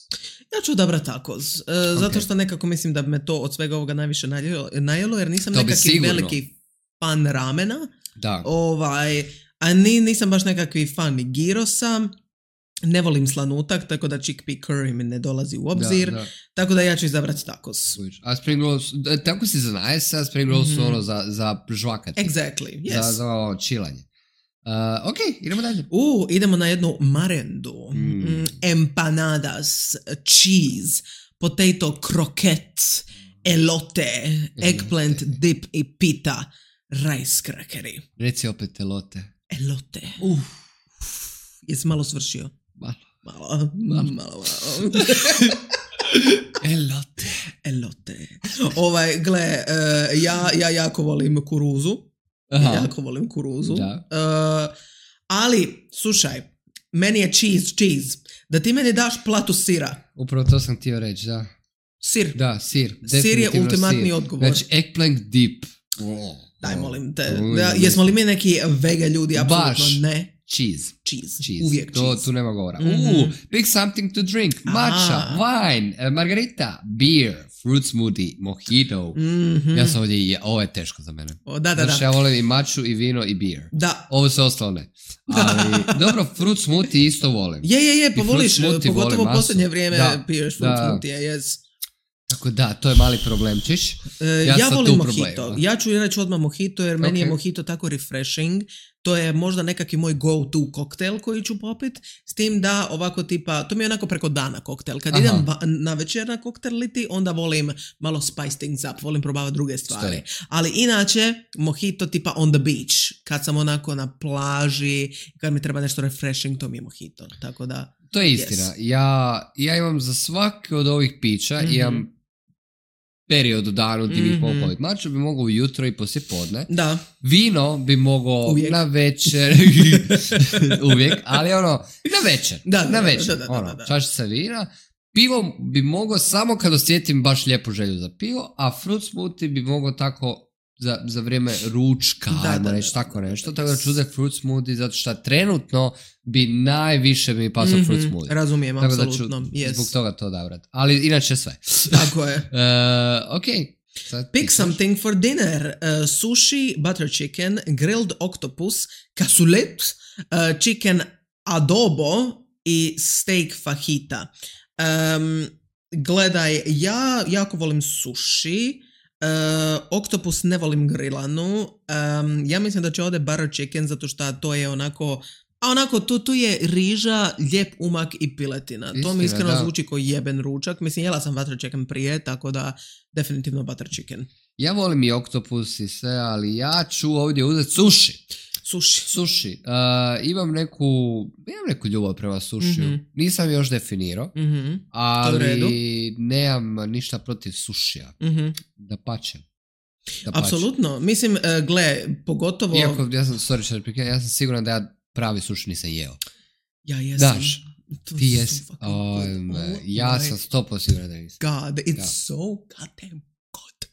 Ja ću odabrat tacos, uh, okay. zato što nekako mislim da me to od svega ovoga najviše najelo, najelo jer nisam To bi nekakvi sigurno. veliki fan ramena, Da. ovaj, a ni, nisam baš nekakvi fan ni gyrosa, ne volim slanutak, tako da chickpea curry mi ne dolazi u obzir, Da, da. tako da ja ću izabrati tacos. A spring rolls, tako si za najest, a spring rolls su Mhm. ono za, za žvakati. Exactly, yes. Za, za ovo čilanje. Uh, ok, idemo dalje. U, idemo na jednu marendu. Mm. Mm, empanadas, cheese, potato croquette, elote, eggplant dip i pita, rice crackeri. Reci opet elote. Elote. Uf. Jesi malo svršio? Malo. Malo, malo, malo. Elote. Elote. Ovaj, gle, uh, ja, ja jako volim kuruzu. Aha. Jako volim kuruzu. Da. Uh, ali, slušaj, meni je cheese, cheese. Da ti meni daš platu sira. Upravo to sam htio reći, da. Sir. Da, sir. Sir je Definitivno ultimatni sir. odgovor. Znači, eggplant dip. Oh, Daj, oh. molim te. Oh, Da, jesmo li mi neki vega ljudi? Apsolutno Baš. ne. Cheese. Cheese. Cheese. Uvijek to, cheese. Tu nema govora. Mhm. Uh, pick something to drink. Matcha, Ah. wine, uh, margarita, beer, fruit smoothie, mojito. Mhm. Ja sam ovdje, i je- ovo je teško za mene. O, da, da, Znači, da. ja volim i maču, i vino, i beer. Da. Ovo se ostalo ne. Ali, dobro, fruit smoothie isto volim. Je, je, je, pa I voliš, fruit smoothie pogotovo u volim masu. posljednje vrijeme Da, piješ fruit da. smoothie, yes. Tako da, to je mali problemčić. Ja, ja volim mojito. Ja ću reći odmah mojito jer meni okay. je mojito tako refreshing. To je možda nekakvi moj go-to koktel koji ću popit. S tim da ovako tipa, to mi je onako preko dana koktel. Kad Aha. idem ba- na večer na koktel liti, onda volim malo spice things up. Volim probavati druge stvari. Stoji. Ali inače, mojito tipa on the beach. Kad sam onako na plaži, kad mi treba nešto refreshing, to mi je mojito. Tako da... To je istina. Yes. Ja, ja imam za svaki od ovih pića, mm-hmm. imam period u danu gdje bih mogao popiti. Mačo bi mogao ujutro i poslije podne. Da. Vino bi mogao uvijek. Na večer. Uvijek, ali ono, na večer. Da, da, na večer. Da, da, da, ono, da, da. čašica vina. Pivo bi mogao samo kad osjetim baš lijepu želju za pivo, a fruit smoothie bi mogao tako za, za vrijeme ručka, da, ajmo reći tako nešto. Tako da ću uzeti fruit smoothie zato što trenutno bi najviše mi pasao mm-hmm, fruit smoothie. Razumijem, tako apsolutno. Da ću yes. zbog toga to odabrati. Ali inače sve. Tako je. uh, ok. Sad Pick something for dinner. Uh, sushi, butter chicken, grilled octopus, cassoulet, uh, chicken adobo i steak fajita. Um, gledaj, ja jako volim sushi. Uh, oktopus ne volim grilanu. Um, ja mislim da će ovdje butter chicken zato što to je onako, a onako tu, tu je riža, lijep umak i piletina. Istina, to mi iskreno da. Zvuči kao jeben ručak. Mislim, jela sam butter chicken prije, tako da definitivno butter chicken. Ja volim i oktopus i sve, ali ja ću ovdje uzeti sushi. Sushi. Sushi. Uh, imam neku, imam neku ljubav prema sušiju. Mm-hmm. Nisam još definirao, mm-hmm. ali nemam ništa protiv sušija. Mm-hmm. Da pačem. Apsolutno. Mislim, uh, gle, pogotovo... Iako, ja sam, sorry, ja sam siguran da ja pravi suši nisam jeo. Ja jesam. Daš, ti jesi. Oh, ja sam sto posto siguran da nisam. God, it's da. so goddamn good.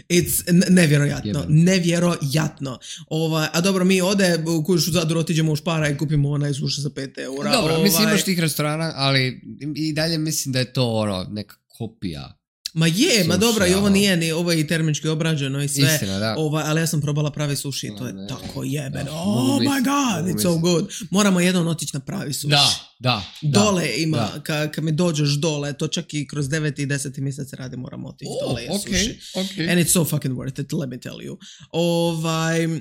It's nevjerojatno, Jebeno. nevjerojatno. Ova, a dobro, mi ode, kuš u Zadru otiđemo u Špara i kupimo onaj suši za pet eura. Dobro, ovaj... mislim imaš tih restorana, ali i dalje mislim da je to ono, neka kopija. Ma je, suši, ma dobro, i ovo nije ni, ovo je i termički obrađeno i sve. Istina, da. Ova, ali ja sam probala pravi suši i to je ne, tako jebeno. Da, oh my god, it's so good. Moramo jednom otići na pravi suši. Da, da. Dole da, ima, da. Kad ka mi dođeš dole, to čak i kroz deveti i deseti mjesec radi, moramo otići oh, dole je okay, suši. Okay. And it's so fucking worth it, let me tell you. Ovaj...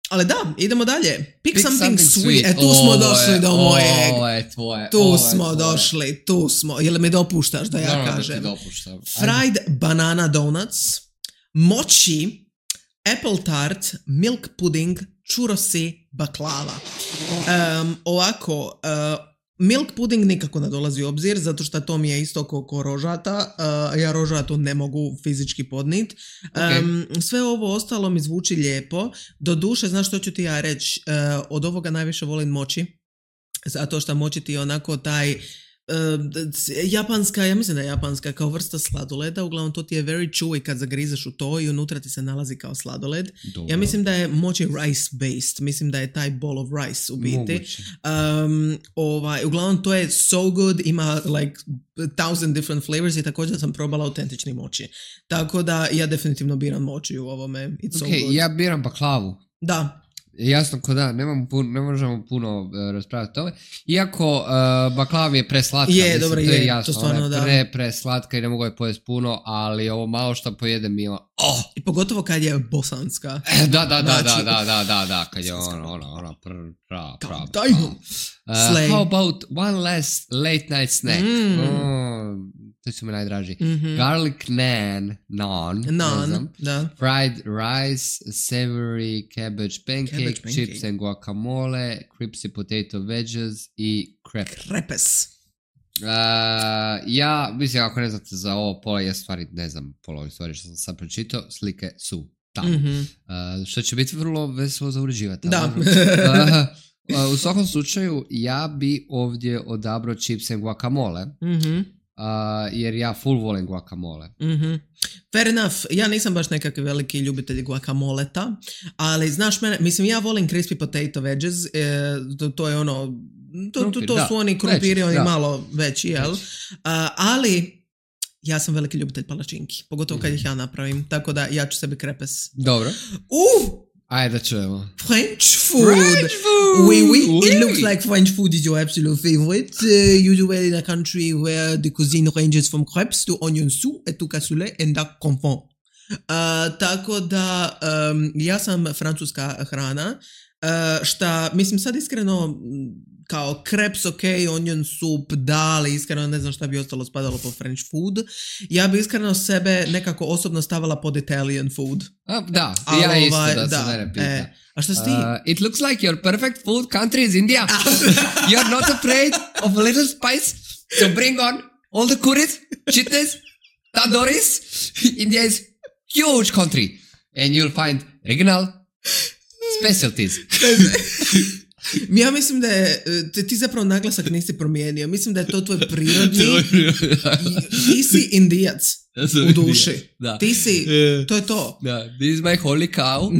Ali da, idemo dalje. Pick, Pick something, something sweet. sweet. E, tu ovo smo došli je, do mojeg. Ovo je tvoje. Tu ovo smo tvoje. došli, tu smo. Jel mi dopuštaš da ja no, kažem? Da ti dopuštam. Fried banana donuts, mochi, apple tart, milk pudding, churrosi, baklava. Um, ovako, uh, milk pudding nikako ne dolazi u obzir, zato što to mi je isto ko rožata, uh, ja rožatu ne mogu fizički podnit. Okay. Um, sve ovo ostalo mi zvuči lijepo. Do duše, znaš što ću ti ja reći, uh, od ovoga najviše volim mochi, zato što mochi ti onako taj Uh, japanska, ja mislim da je japanska kao vrsta sladoleda, uglavnom to ti je very chewy kad zagrizeš u to i unutra ti se nalazi kao sladoled. Dobro. Ja mislim da je mochi rice based, mislim da je taj bowl of rice u biti. Um, ovaj, uglavnom to je so good, ima like thousand different flavors i također sam probala autentični mochi. Tako da ja definitivno biram mochi u ovome. It's so okay, good. Ja biram baklavu. Da. Jasno ko da, nemam pun, ne možemo puno uh, raspraviti o tome. Iako uh, baklava je preslatka. Je, mislim, dobro, to je, je jasno, to stvarno, ona je pre, preslatka i ne mogu je pojesti puno, ali ovo malo što pojedem mi ono, oh! I pogotovo kad je bosanska. da, da, da, znači, da, da, da, da, da, kad je ono, ono, ono, pra, pra, pra, pra. Uh, how about one last late night snack? Mm. Oh, to su mi najdraži. Mm-hmm. Garlic naan, naan, naan da. Fried rice, savory cabbage pancake, cabbage pancake. Chips and guacamole, crispy potato wedges i crepe. Crepes. Uh, ja, mislim, ako ne znate za ovo pola, ja stvari ne znam pola ovih stvari što sam sad pročitao, slike su tamo. Mm-hmm. Uh, što će biti vrlo veselo za uređivati. Da. uh, uh, u svakom slučaju, ja bi ovdje odabrao chips and guacamole. Mhm. Uh, jer ja full volim guacamole. Mm-hmm. Fair enough. Ja nisam baš nekakvi veliki ljubitelj guacamoleta, ali znaš mene, mislim ja volim crispy potato wedges, e, to, to je ono, to, Krumpir, to, to su oni krumpiri, oni da. Malo veći, jel? Uh, ali ja sam veliki ljubitelj palačinki, pogotovo kad ih ja napravim, tako da ja ću sebi krepes. Dobro. Uh! Ajde da čujemo. French food. French food. Oui, oui. It looks like French food is your absolute favorite. Uh, you do well in a country where the cuisine ranges from crepes to onion soup et to cassoulet and duck confit. Uh, tako da, um, ja sam francuska hrana, uh, šta, mislim sad iskreno, kao crepes, ok, onion soup, da, ali iskreno ne znam šta bi ostalo spadalo po French food. Ja bi iskreno sebe nekako osobno stavila pod Italian food. A, da, ali, ja isto ovaj, da, da se mene pita. E, a šta si ti? Uh, it looks like your perfect food country is India. You're not afraid of a little spice, so bring on all the curries, chitnes, tandoori's. India is huge country and you'll find regional specialties. Ja mislim da je, ti zapravo naglasak nisi promijenio. Mislim da je to tvoj prirodni. Ti si Indijac u duši. Da. Ti si, to je to. Da, this is my holy cow.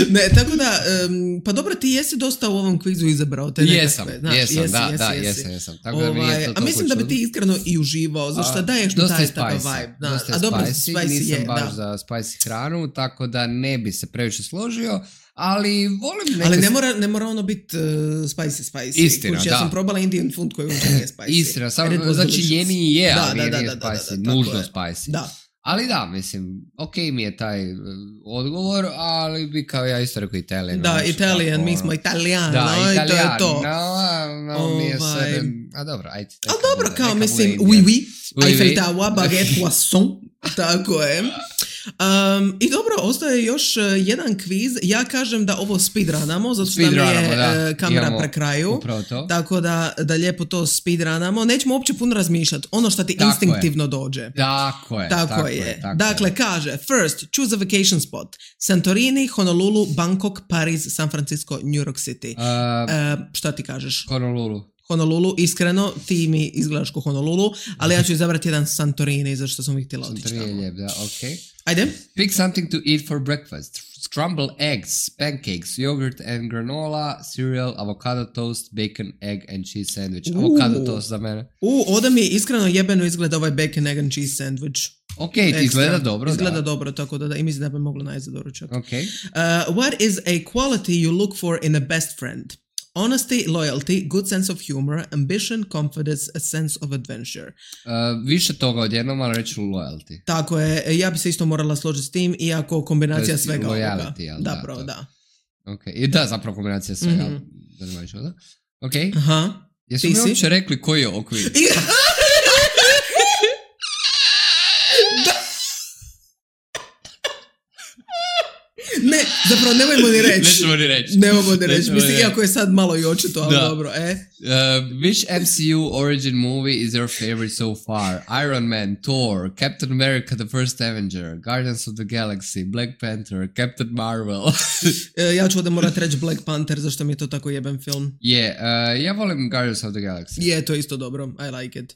Ne, tako da, um, pa dobro, ti jesi dosta u ovom kvizu izabrao te nekakve. Jesam, znaš, jesam, jesi, da, jesi, da, jesi. jesam, jesam. Tako da mi Ovaj, je to a mislim da bi ti iskreno i uživao, zašto daješ mi taj takav vibe. Da. Dosta je A dobro, spicy, spicy nisam je, baš da. za spicy hranu, tako da ne bi se previše složio, ali volim neke... Ali ne mora, ne mora ono biti uh, spicy, spicy. Istina, Kuć, da. Ja sam probala Indian food koji uopće nije spicy. Istina, samo, And it was znači delicious. jeni je, Da, ali da, da, nije da, da, da, spicy, da, nužno tako je. spicy. Da. Ali da, mislim, ok mi je taj uh, odgovor, ali bi kao ja isto rekao Italijan. Da, znači, Italian, tako, mi smo Italijano, da, i to je Italijan, to. no, no, mi je Ovaj. sve, a dobro, ajde. Ali neka dobro, bude, kao neka mislim, bude oui, Indija. oui, Oui, Eiffel oui. Tower, baguette, poisson, tako je. Um, I dobro, ostaje još uh, jedan kviz. Ja kažem da ovo speedrunamo, zato što nam je Speedrunamo, da. uh, kamera Imamo pre kraju. upravo to. Tako da, da lijepo to speedrunamo. Nećemo uopće puno razmišljati. Ono što ti Tako instinktivno je. dođe. Tako je, Tako, tako je. je. Tako dakle, je. kaže, first, choose a vacation spot. Santorini, Honolulu, Bangkok, Pariz, San Francisco, New York City. Uh, Uh, šta ti kažeš? Honolulu. Honolulu, iskreno, ti mi izgledaš ko Honolulu, ali ja ću izabrati jedan Santorini, zašto sam ih htjela otići Santorini je tamo. lijep, da, ok. Ajde. Pick something to eat for breakfast. Scrambled eggs, pancakes, yogurt and granola, cereal, avocado toast, bacon, egg and cheese sandwich. Uh. Avocado toast za mene. U, ovdje mi iskreno jebeno izgleda ovaj bacon, egg and cheese sandwich. Ok, ti Ekstra. izgleda dobro, Izgleda da. dobro, tako da, da i mislim da bi moglo najeti za doručak. Ok. Uh, what is a quality you look for in a best friend? Honesty, loyalty, good sense of humor, ambition, confidence, a sense of adventure. Uh, više toga odjednom, ali reću loyalty. Tako je, ja bi se isto morala složiti s tim, iako kombinacija To jest svega loyalty, ovoga. jel Da, da, pravo, to. da. Ok, i da, zapravo kombinacija svega. Mhm. Da ne možeš da? Ok. Aha. Jesu Ti mi si? uopće rekli koji je okvir? Ne, zapravo nemojmo ni reći. Nećemo ni reći. Nemojmo ni reći. Nećemo Mislim, ni iako je sad malo i očito, ali Da. dobro, e. Uh, which M C U origin movie is your favorite so far? Iron Man, Thor, Captain America the First Avenger, Guardians of the Galaxy, Black Panther, Captain Marvel. E, ja ću ovdje morat reći Black Panther, zašto mi je to tako jeben film. Je, yeah, uh, ja volim Guardians of the Galaxy. Je, to je isto dobro. I like it.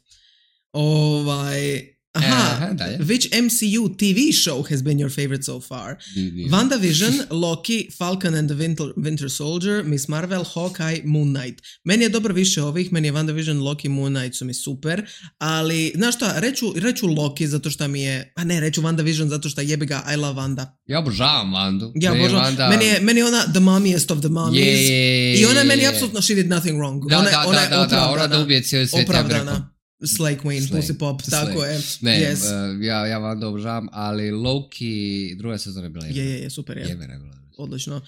Ovaj... Aha, Aha, dalje. which M C U T V show has been your favorite so far? Di- di- WandaVision, Loki, Falcon and the Winter, Winter Soldier, Miss Marvel, Hawkeye, Moon Knight. Meni je dobro više ovih, meni je WandaVision, Loki, Moon Knight su mi super, ali, znaš šta, reću, reću Loki zato što mi je, a ne, reću WandaVision zato što jebi ga, I love Wanda. Ja obožavam Vandu. Ja Meni je obožavam, Wanda- meni, je, meni je ona the mummiest of the mummies. Je, je, je, I ona meni je. apsolutno she did nothing wrong. Da, ona, je- da, ona da, je da, da, opravdana. ona da ubije cijeli svijet, ja bih rekao. Opravdana. Slay Queen, Slay. Pussy Pop, tako Slay. je. Ne, Yes. uh, ja, ja Vandu obožavam, ali Loki, druga sezona je bila Je, je, je, super je. jebena je bila. Odlično. Uh,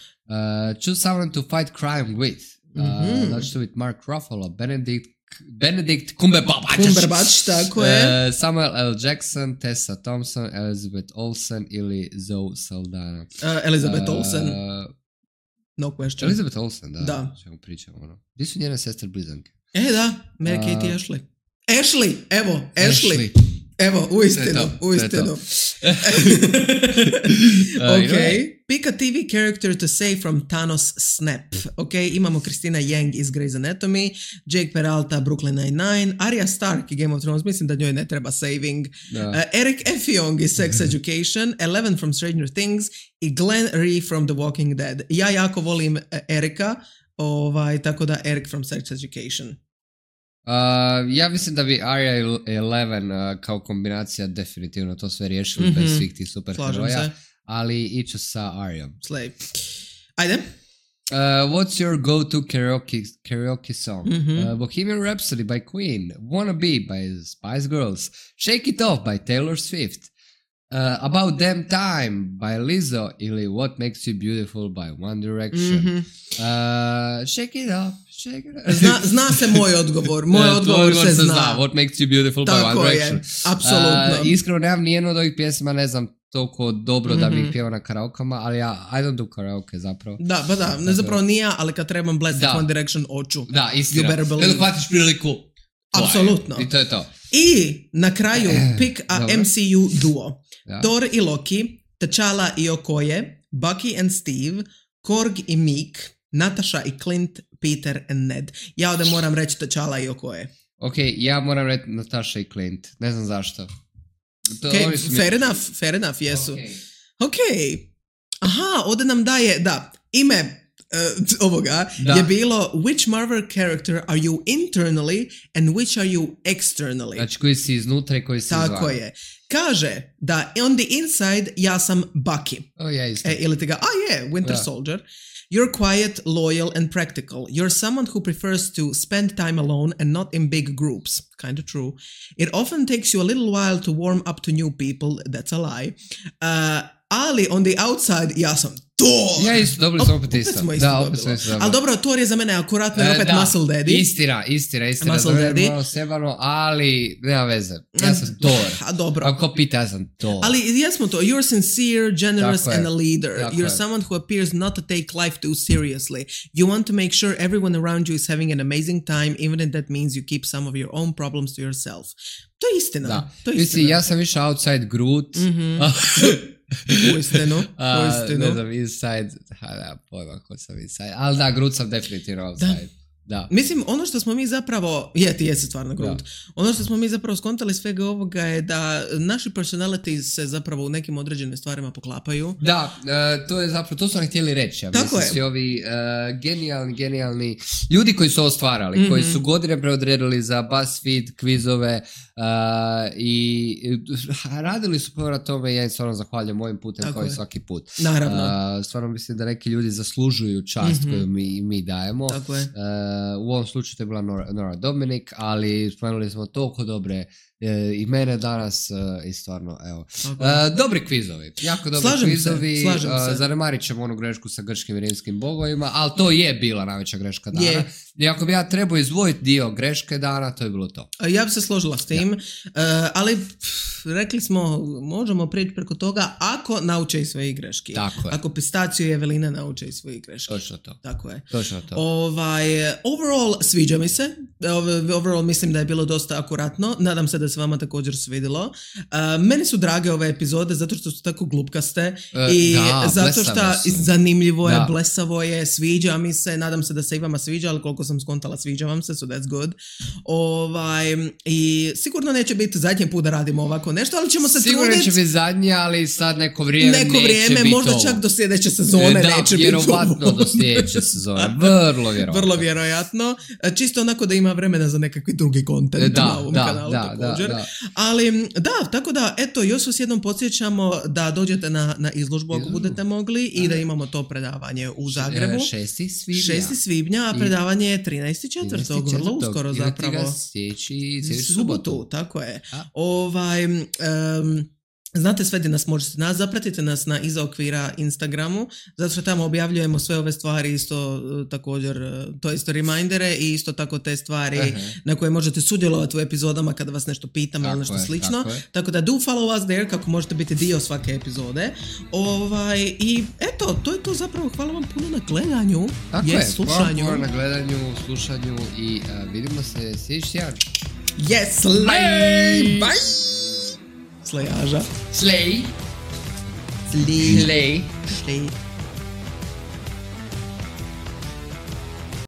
choose someone to fight crime with. Uh, Mhm. Da ću to biti Mark Ruffalo, Benedict, Benedict Cumberbatch, Cumberbatch, tako je. uh, Samuel L. Jackson, Tessa Thompson, Elizabeth Olsen ili Zoe Saldana. Uh, Elizabeth Uh, Olsen, no question. Elizabeth Olsen, da. Da. Čemu pričamo, ono. Gdje su njene sestre blizanke? E, da, Mary Uh, Kate i Ashley. Ashley, evo, Ashley. Evo, To uistinu, je to, to je uistinu. to. Ok, idemo. pick a T V character to save from Thanos snap. Ok, imamo Christina Yang iz Grey's Anatomy, Jake Peralta, Brooklyn Nine-Nine, Arya Stark i Game of Thrones, mislim da njoj ne treba saving, Da. uh, Eric Effiong iz Sex Education, Eleven from Stranger Things i Glenn Rhee from The Walking Dead. Ja jako volim uh, Erika, ovaj, tako da Eric from Sex Education. Uh, ja mislim da bi Arya i Eleven uh, kao kombinacija definitivno to sve riješili Mhm. bez svih tih Slažem superheroja, se. ali iću sa Aryom. Slay. Ajde. Uh, what's your go-to karaoke karaoke song? Mm-hmm. Uh, Bohemian Rhapsody by Queen, Wanna Be by Spice Girls, Shake It Off by Taylor Swift, uh, About Damn Time by Lizzo ili What Makes You Beautiful by One Direction. Mm-hmm. Uh, shake It Off, Shake It Off. Zna, zna se moj odgovor, moj uh, odgovor, odgovor se zna. zna. What Makes You Beautiful Tako by One je, Direction. apsolutno. Uh, iskreno nemam nijednu od ovih pjesma, ne znam toliko dobro mm-hmm. da bih pjevao na karaokama, ali ja, I don't do karaoke zapravo. Da, pa da, ne zapravo nije, ali kad trebam Blast One Direction oču. Da, istina. You better believe. Kada hvatiš priliku. Apsolutno. I to je to. I na kraju pick a Dobro. M C U duo. Da. Thor i Loki, T'Challa i Okoye, Bucky and Steve, Korg i Meek, Natasha i Clint, Peter and Ned. Ja ovdje moram reći T'Challa i Okoye. Ok, ja moram reći Natasha i Clint. Ne znam zašto. To, Okay, mi... fair enough, fair enough, jesu. Okay. Ok. Aha, ovdje nam daje, da, ime uh, ovoga da. je bilo which Marvel character are you internally and which are you externally? Znači koji si iznutra i koji si izvana. Tako je. Kaže da on the inside ja sam Bucky. O, ja isto. E, ili ti ga, a je, Winter da. Soldier. You're quiet, loyal and practical. You're someone who prefers to spend time alone and not in big groups. Kind of true. It often takes you a little while to warm up to new people. That's a lie. Uh, ali on the outside ja sam Thor. Ja isto, dobili smo opet isto. Smo isto da, dobilo. opet smo isto dobili. Ali dobro, Thor je za mene akuratno i opet e, Muscle Daddy. Istina, istina, istina. Muscle Dobro, Daddy. malo sebano, ali nema veze. Ja sam Thor. A dobro. Ako pita, ja sam Thor. Ali jesmo to. You're sincere, generous Tako and je. a leader. Tako You're je. someone who appears not to take life too seriously. You want to make sure everyone around you is having an amazing time, even if that means you keep some of your own problems to yourself. To je istina. Da. To je Mislim, istina. ja sam više outside Groot. Mm-hmm. Uistinu, uistinu. Ne znam, inside, ha, da, pojma ko sam inside, ali da, Groot sam definitivno outside. Da. Da. Mislim, ono što smo mi zapravo, je, ti jesi stvarno Groot, da. Ono što smo mi zapravo skontali svega ovoga je da naši personalities se zapravo u nekim određenim stvarima poklapaju. Da, uh, to je zapravo, to su nam htjeli reći. Ja Tako mislim, je. svi ovi uh, genijalni, genijalni ljudi koji su ovo stvarali, mm-hmm. koji su godine preodredili za BuzzFeed, kvizove uh, i radili su prvo na tome i ja im stvarno zahvaljujem mojim putem Tako kao i je. svaki put. Naravno. Uh, stvarno mislim da neki ljudi zaslužuju čast mm-hmm. koju mi, mi dajemo. Tako je. Uh, u ovom slučaju to je bila Nora, Nora Dominic, ali spomenuli smo toliko dobre e, imene danas e, i stvarno, evo. Okay. E, dobri kvizovi, jako dobri slažem kvizovi. Se, slažem e, se. Zanemarit ćemo onu grešku sa grčkim i rimskim bogovima, ali to je bila najveća greška dana. Je. I ako bi ja trebao izdvojiti dio greške dana, to je bilo to. Ja bi se složila s tim, ja. uh, ali pff, rekli smo, možemo prijeći preko toga ako nauče iz svojih greški. Tako je. Ako Pistaciju i Evelina nauče iz svojih greški. Točno to. Tako je. Točno to. Ovaj, overall, sviđa mi se. Overall mislim da je bilo dosta akuratno. Nadam se da se vama također svidjelo. Uh, meni su drage ove epizode zato što su tako glupkaste uh, i da, zato što zanimljivo je, da. blesavo je, sviđa mi se. Nadam se da se i vama sviđa, ali koliko sam skontala sviđa vam se, so that's good. Ovaj, i sigurno neće biti zadnji put da radimo ovako nešto, ali ćemo se sigurno truditi. Sigurno će biti zadnji, ali sad neko vrijeme neko neće vrijeme, biti možda ovo. čak do sljedeće sezone da, neće biti vjerovatno do sljedeće sezone. Vrlo vjerovatno. Vrlo vjerojatno. Čisto onako da ima vremena za nekakvi drugi kontent da, na ovom da, kanalu da, također. Da, da. Ali da, tako da, eto, još vas jednom podsjećamo da dođete na, na izložbu ako budete mogli i da imamo to predavanje u Zagrebu. šesti svibnja. šesti svibnja, a predavanje je trinaesti četvrtog vrlo uskoro zapravo. Sljedeći subotu. subotu. Tako je. A? Ovaj... Um, Znate sve gdje nas možete nas, zapratite nas na Iza okvira Instagramu, zato što tamo objavljujemo sve ove stvari isto također, to isto remindere i isto tako te stvari uh-huh. na koje možete sudjelovati u epizodama kada vas nešto pitamo ili nešto je, slično. Tako, tako da do follow us there kako možete biti dio svake epizode. Ovaj, I eto, to je to zapravo. Hvala vam puno na gledanju. Tako yes, je, slušanju. hvala na gledanju, slušanju i uh, vidimo se sljedeći tjedan. Yes, slay! Bye! Slayaža. Slay. Slay. Slay. Slay.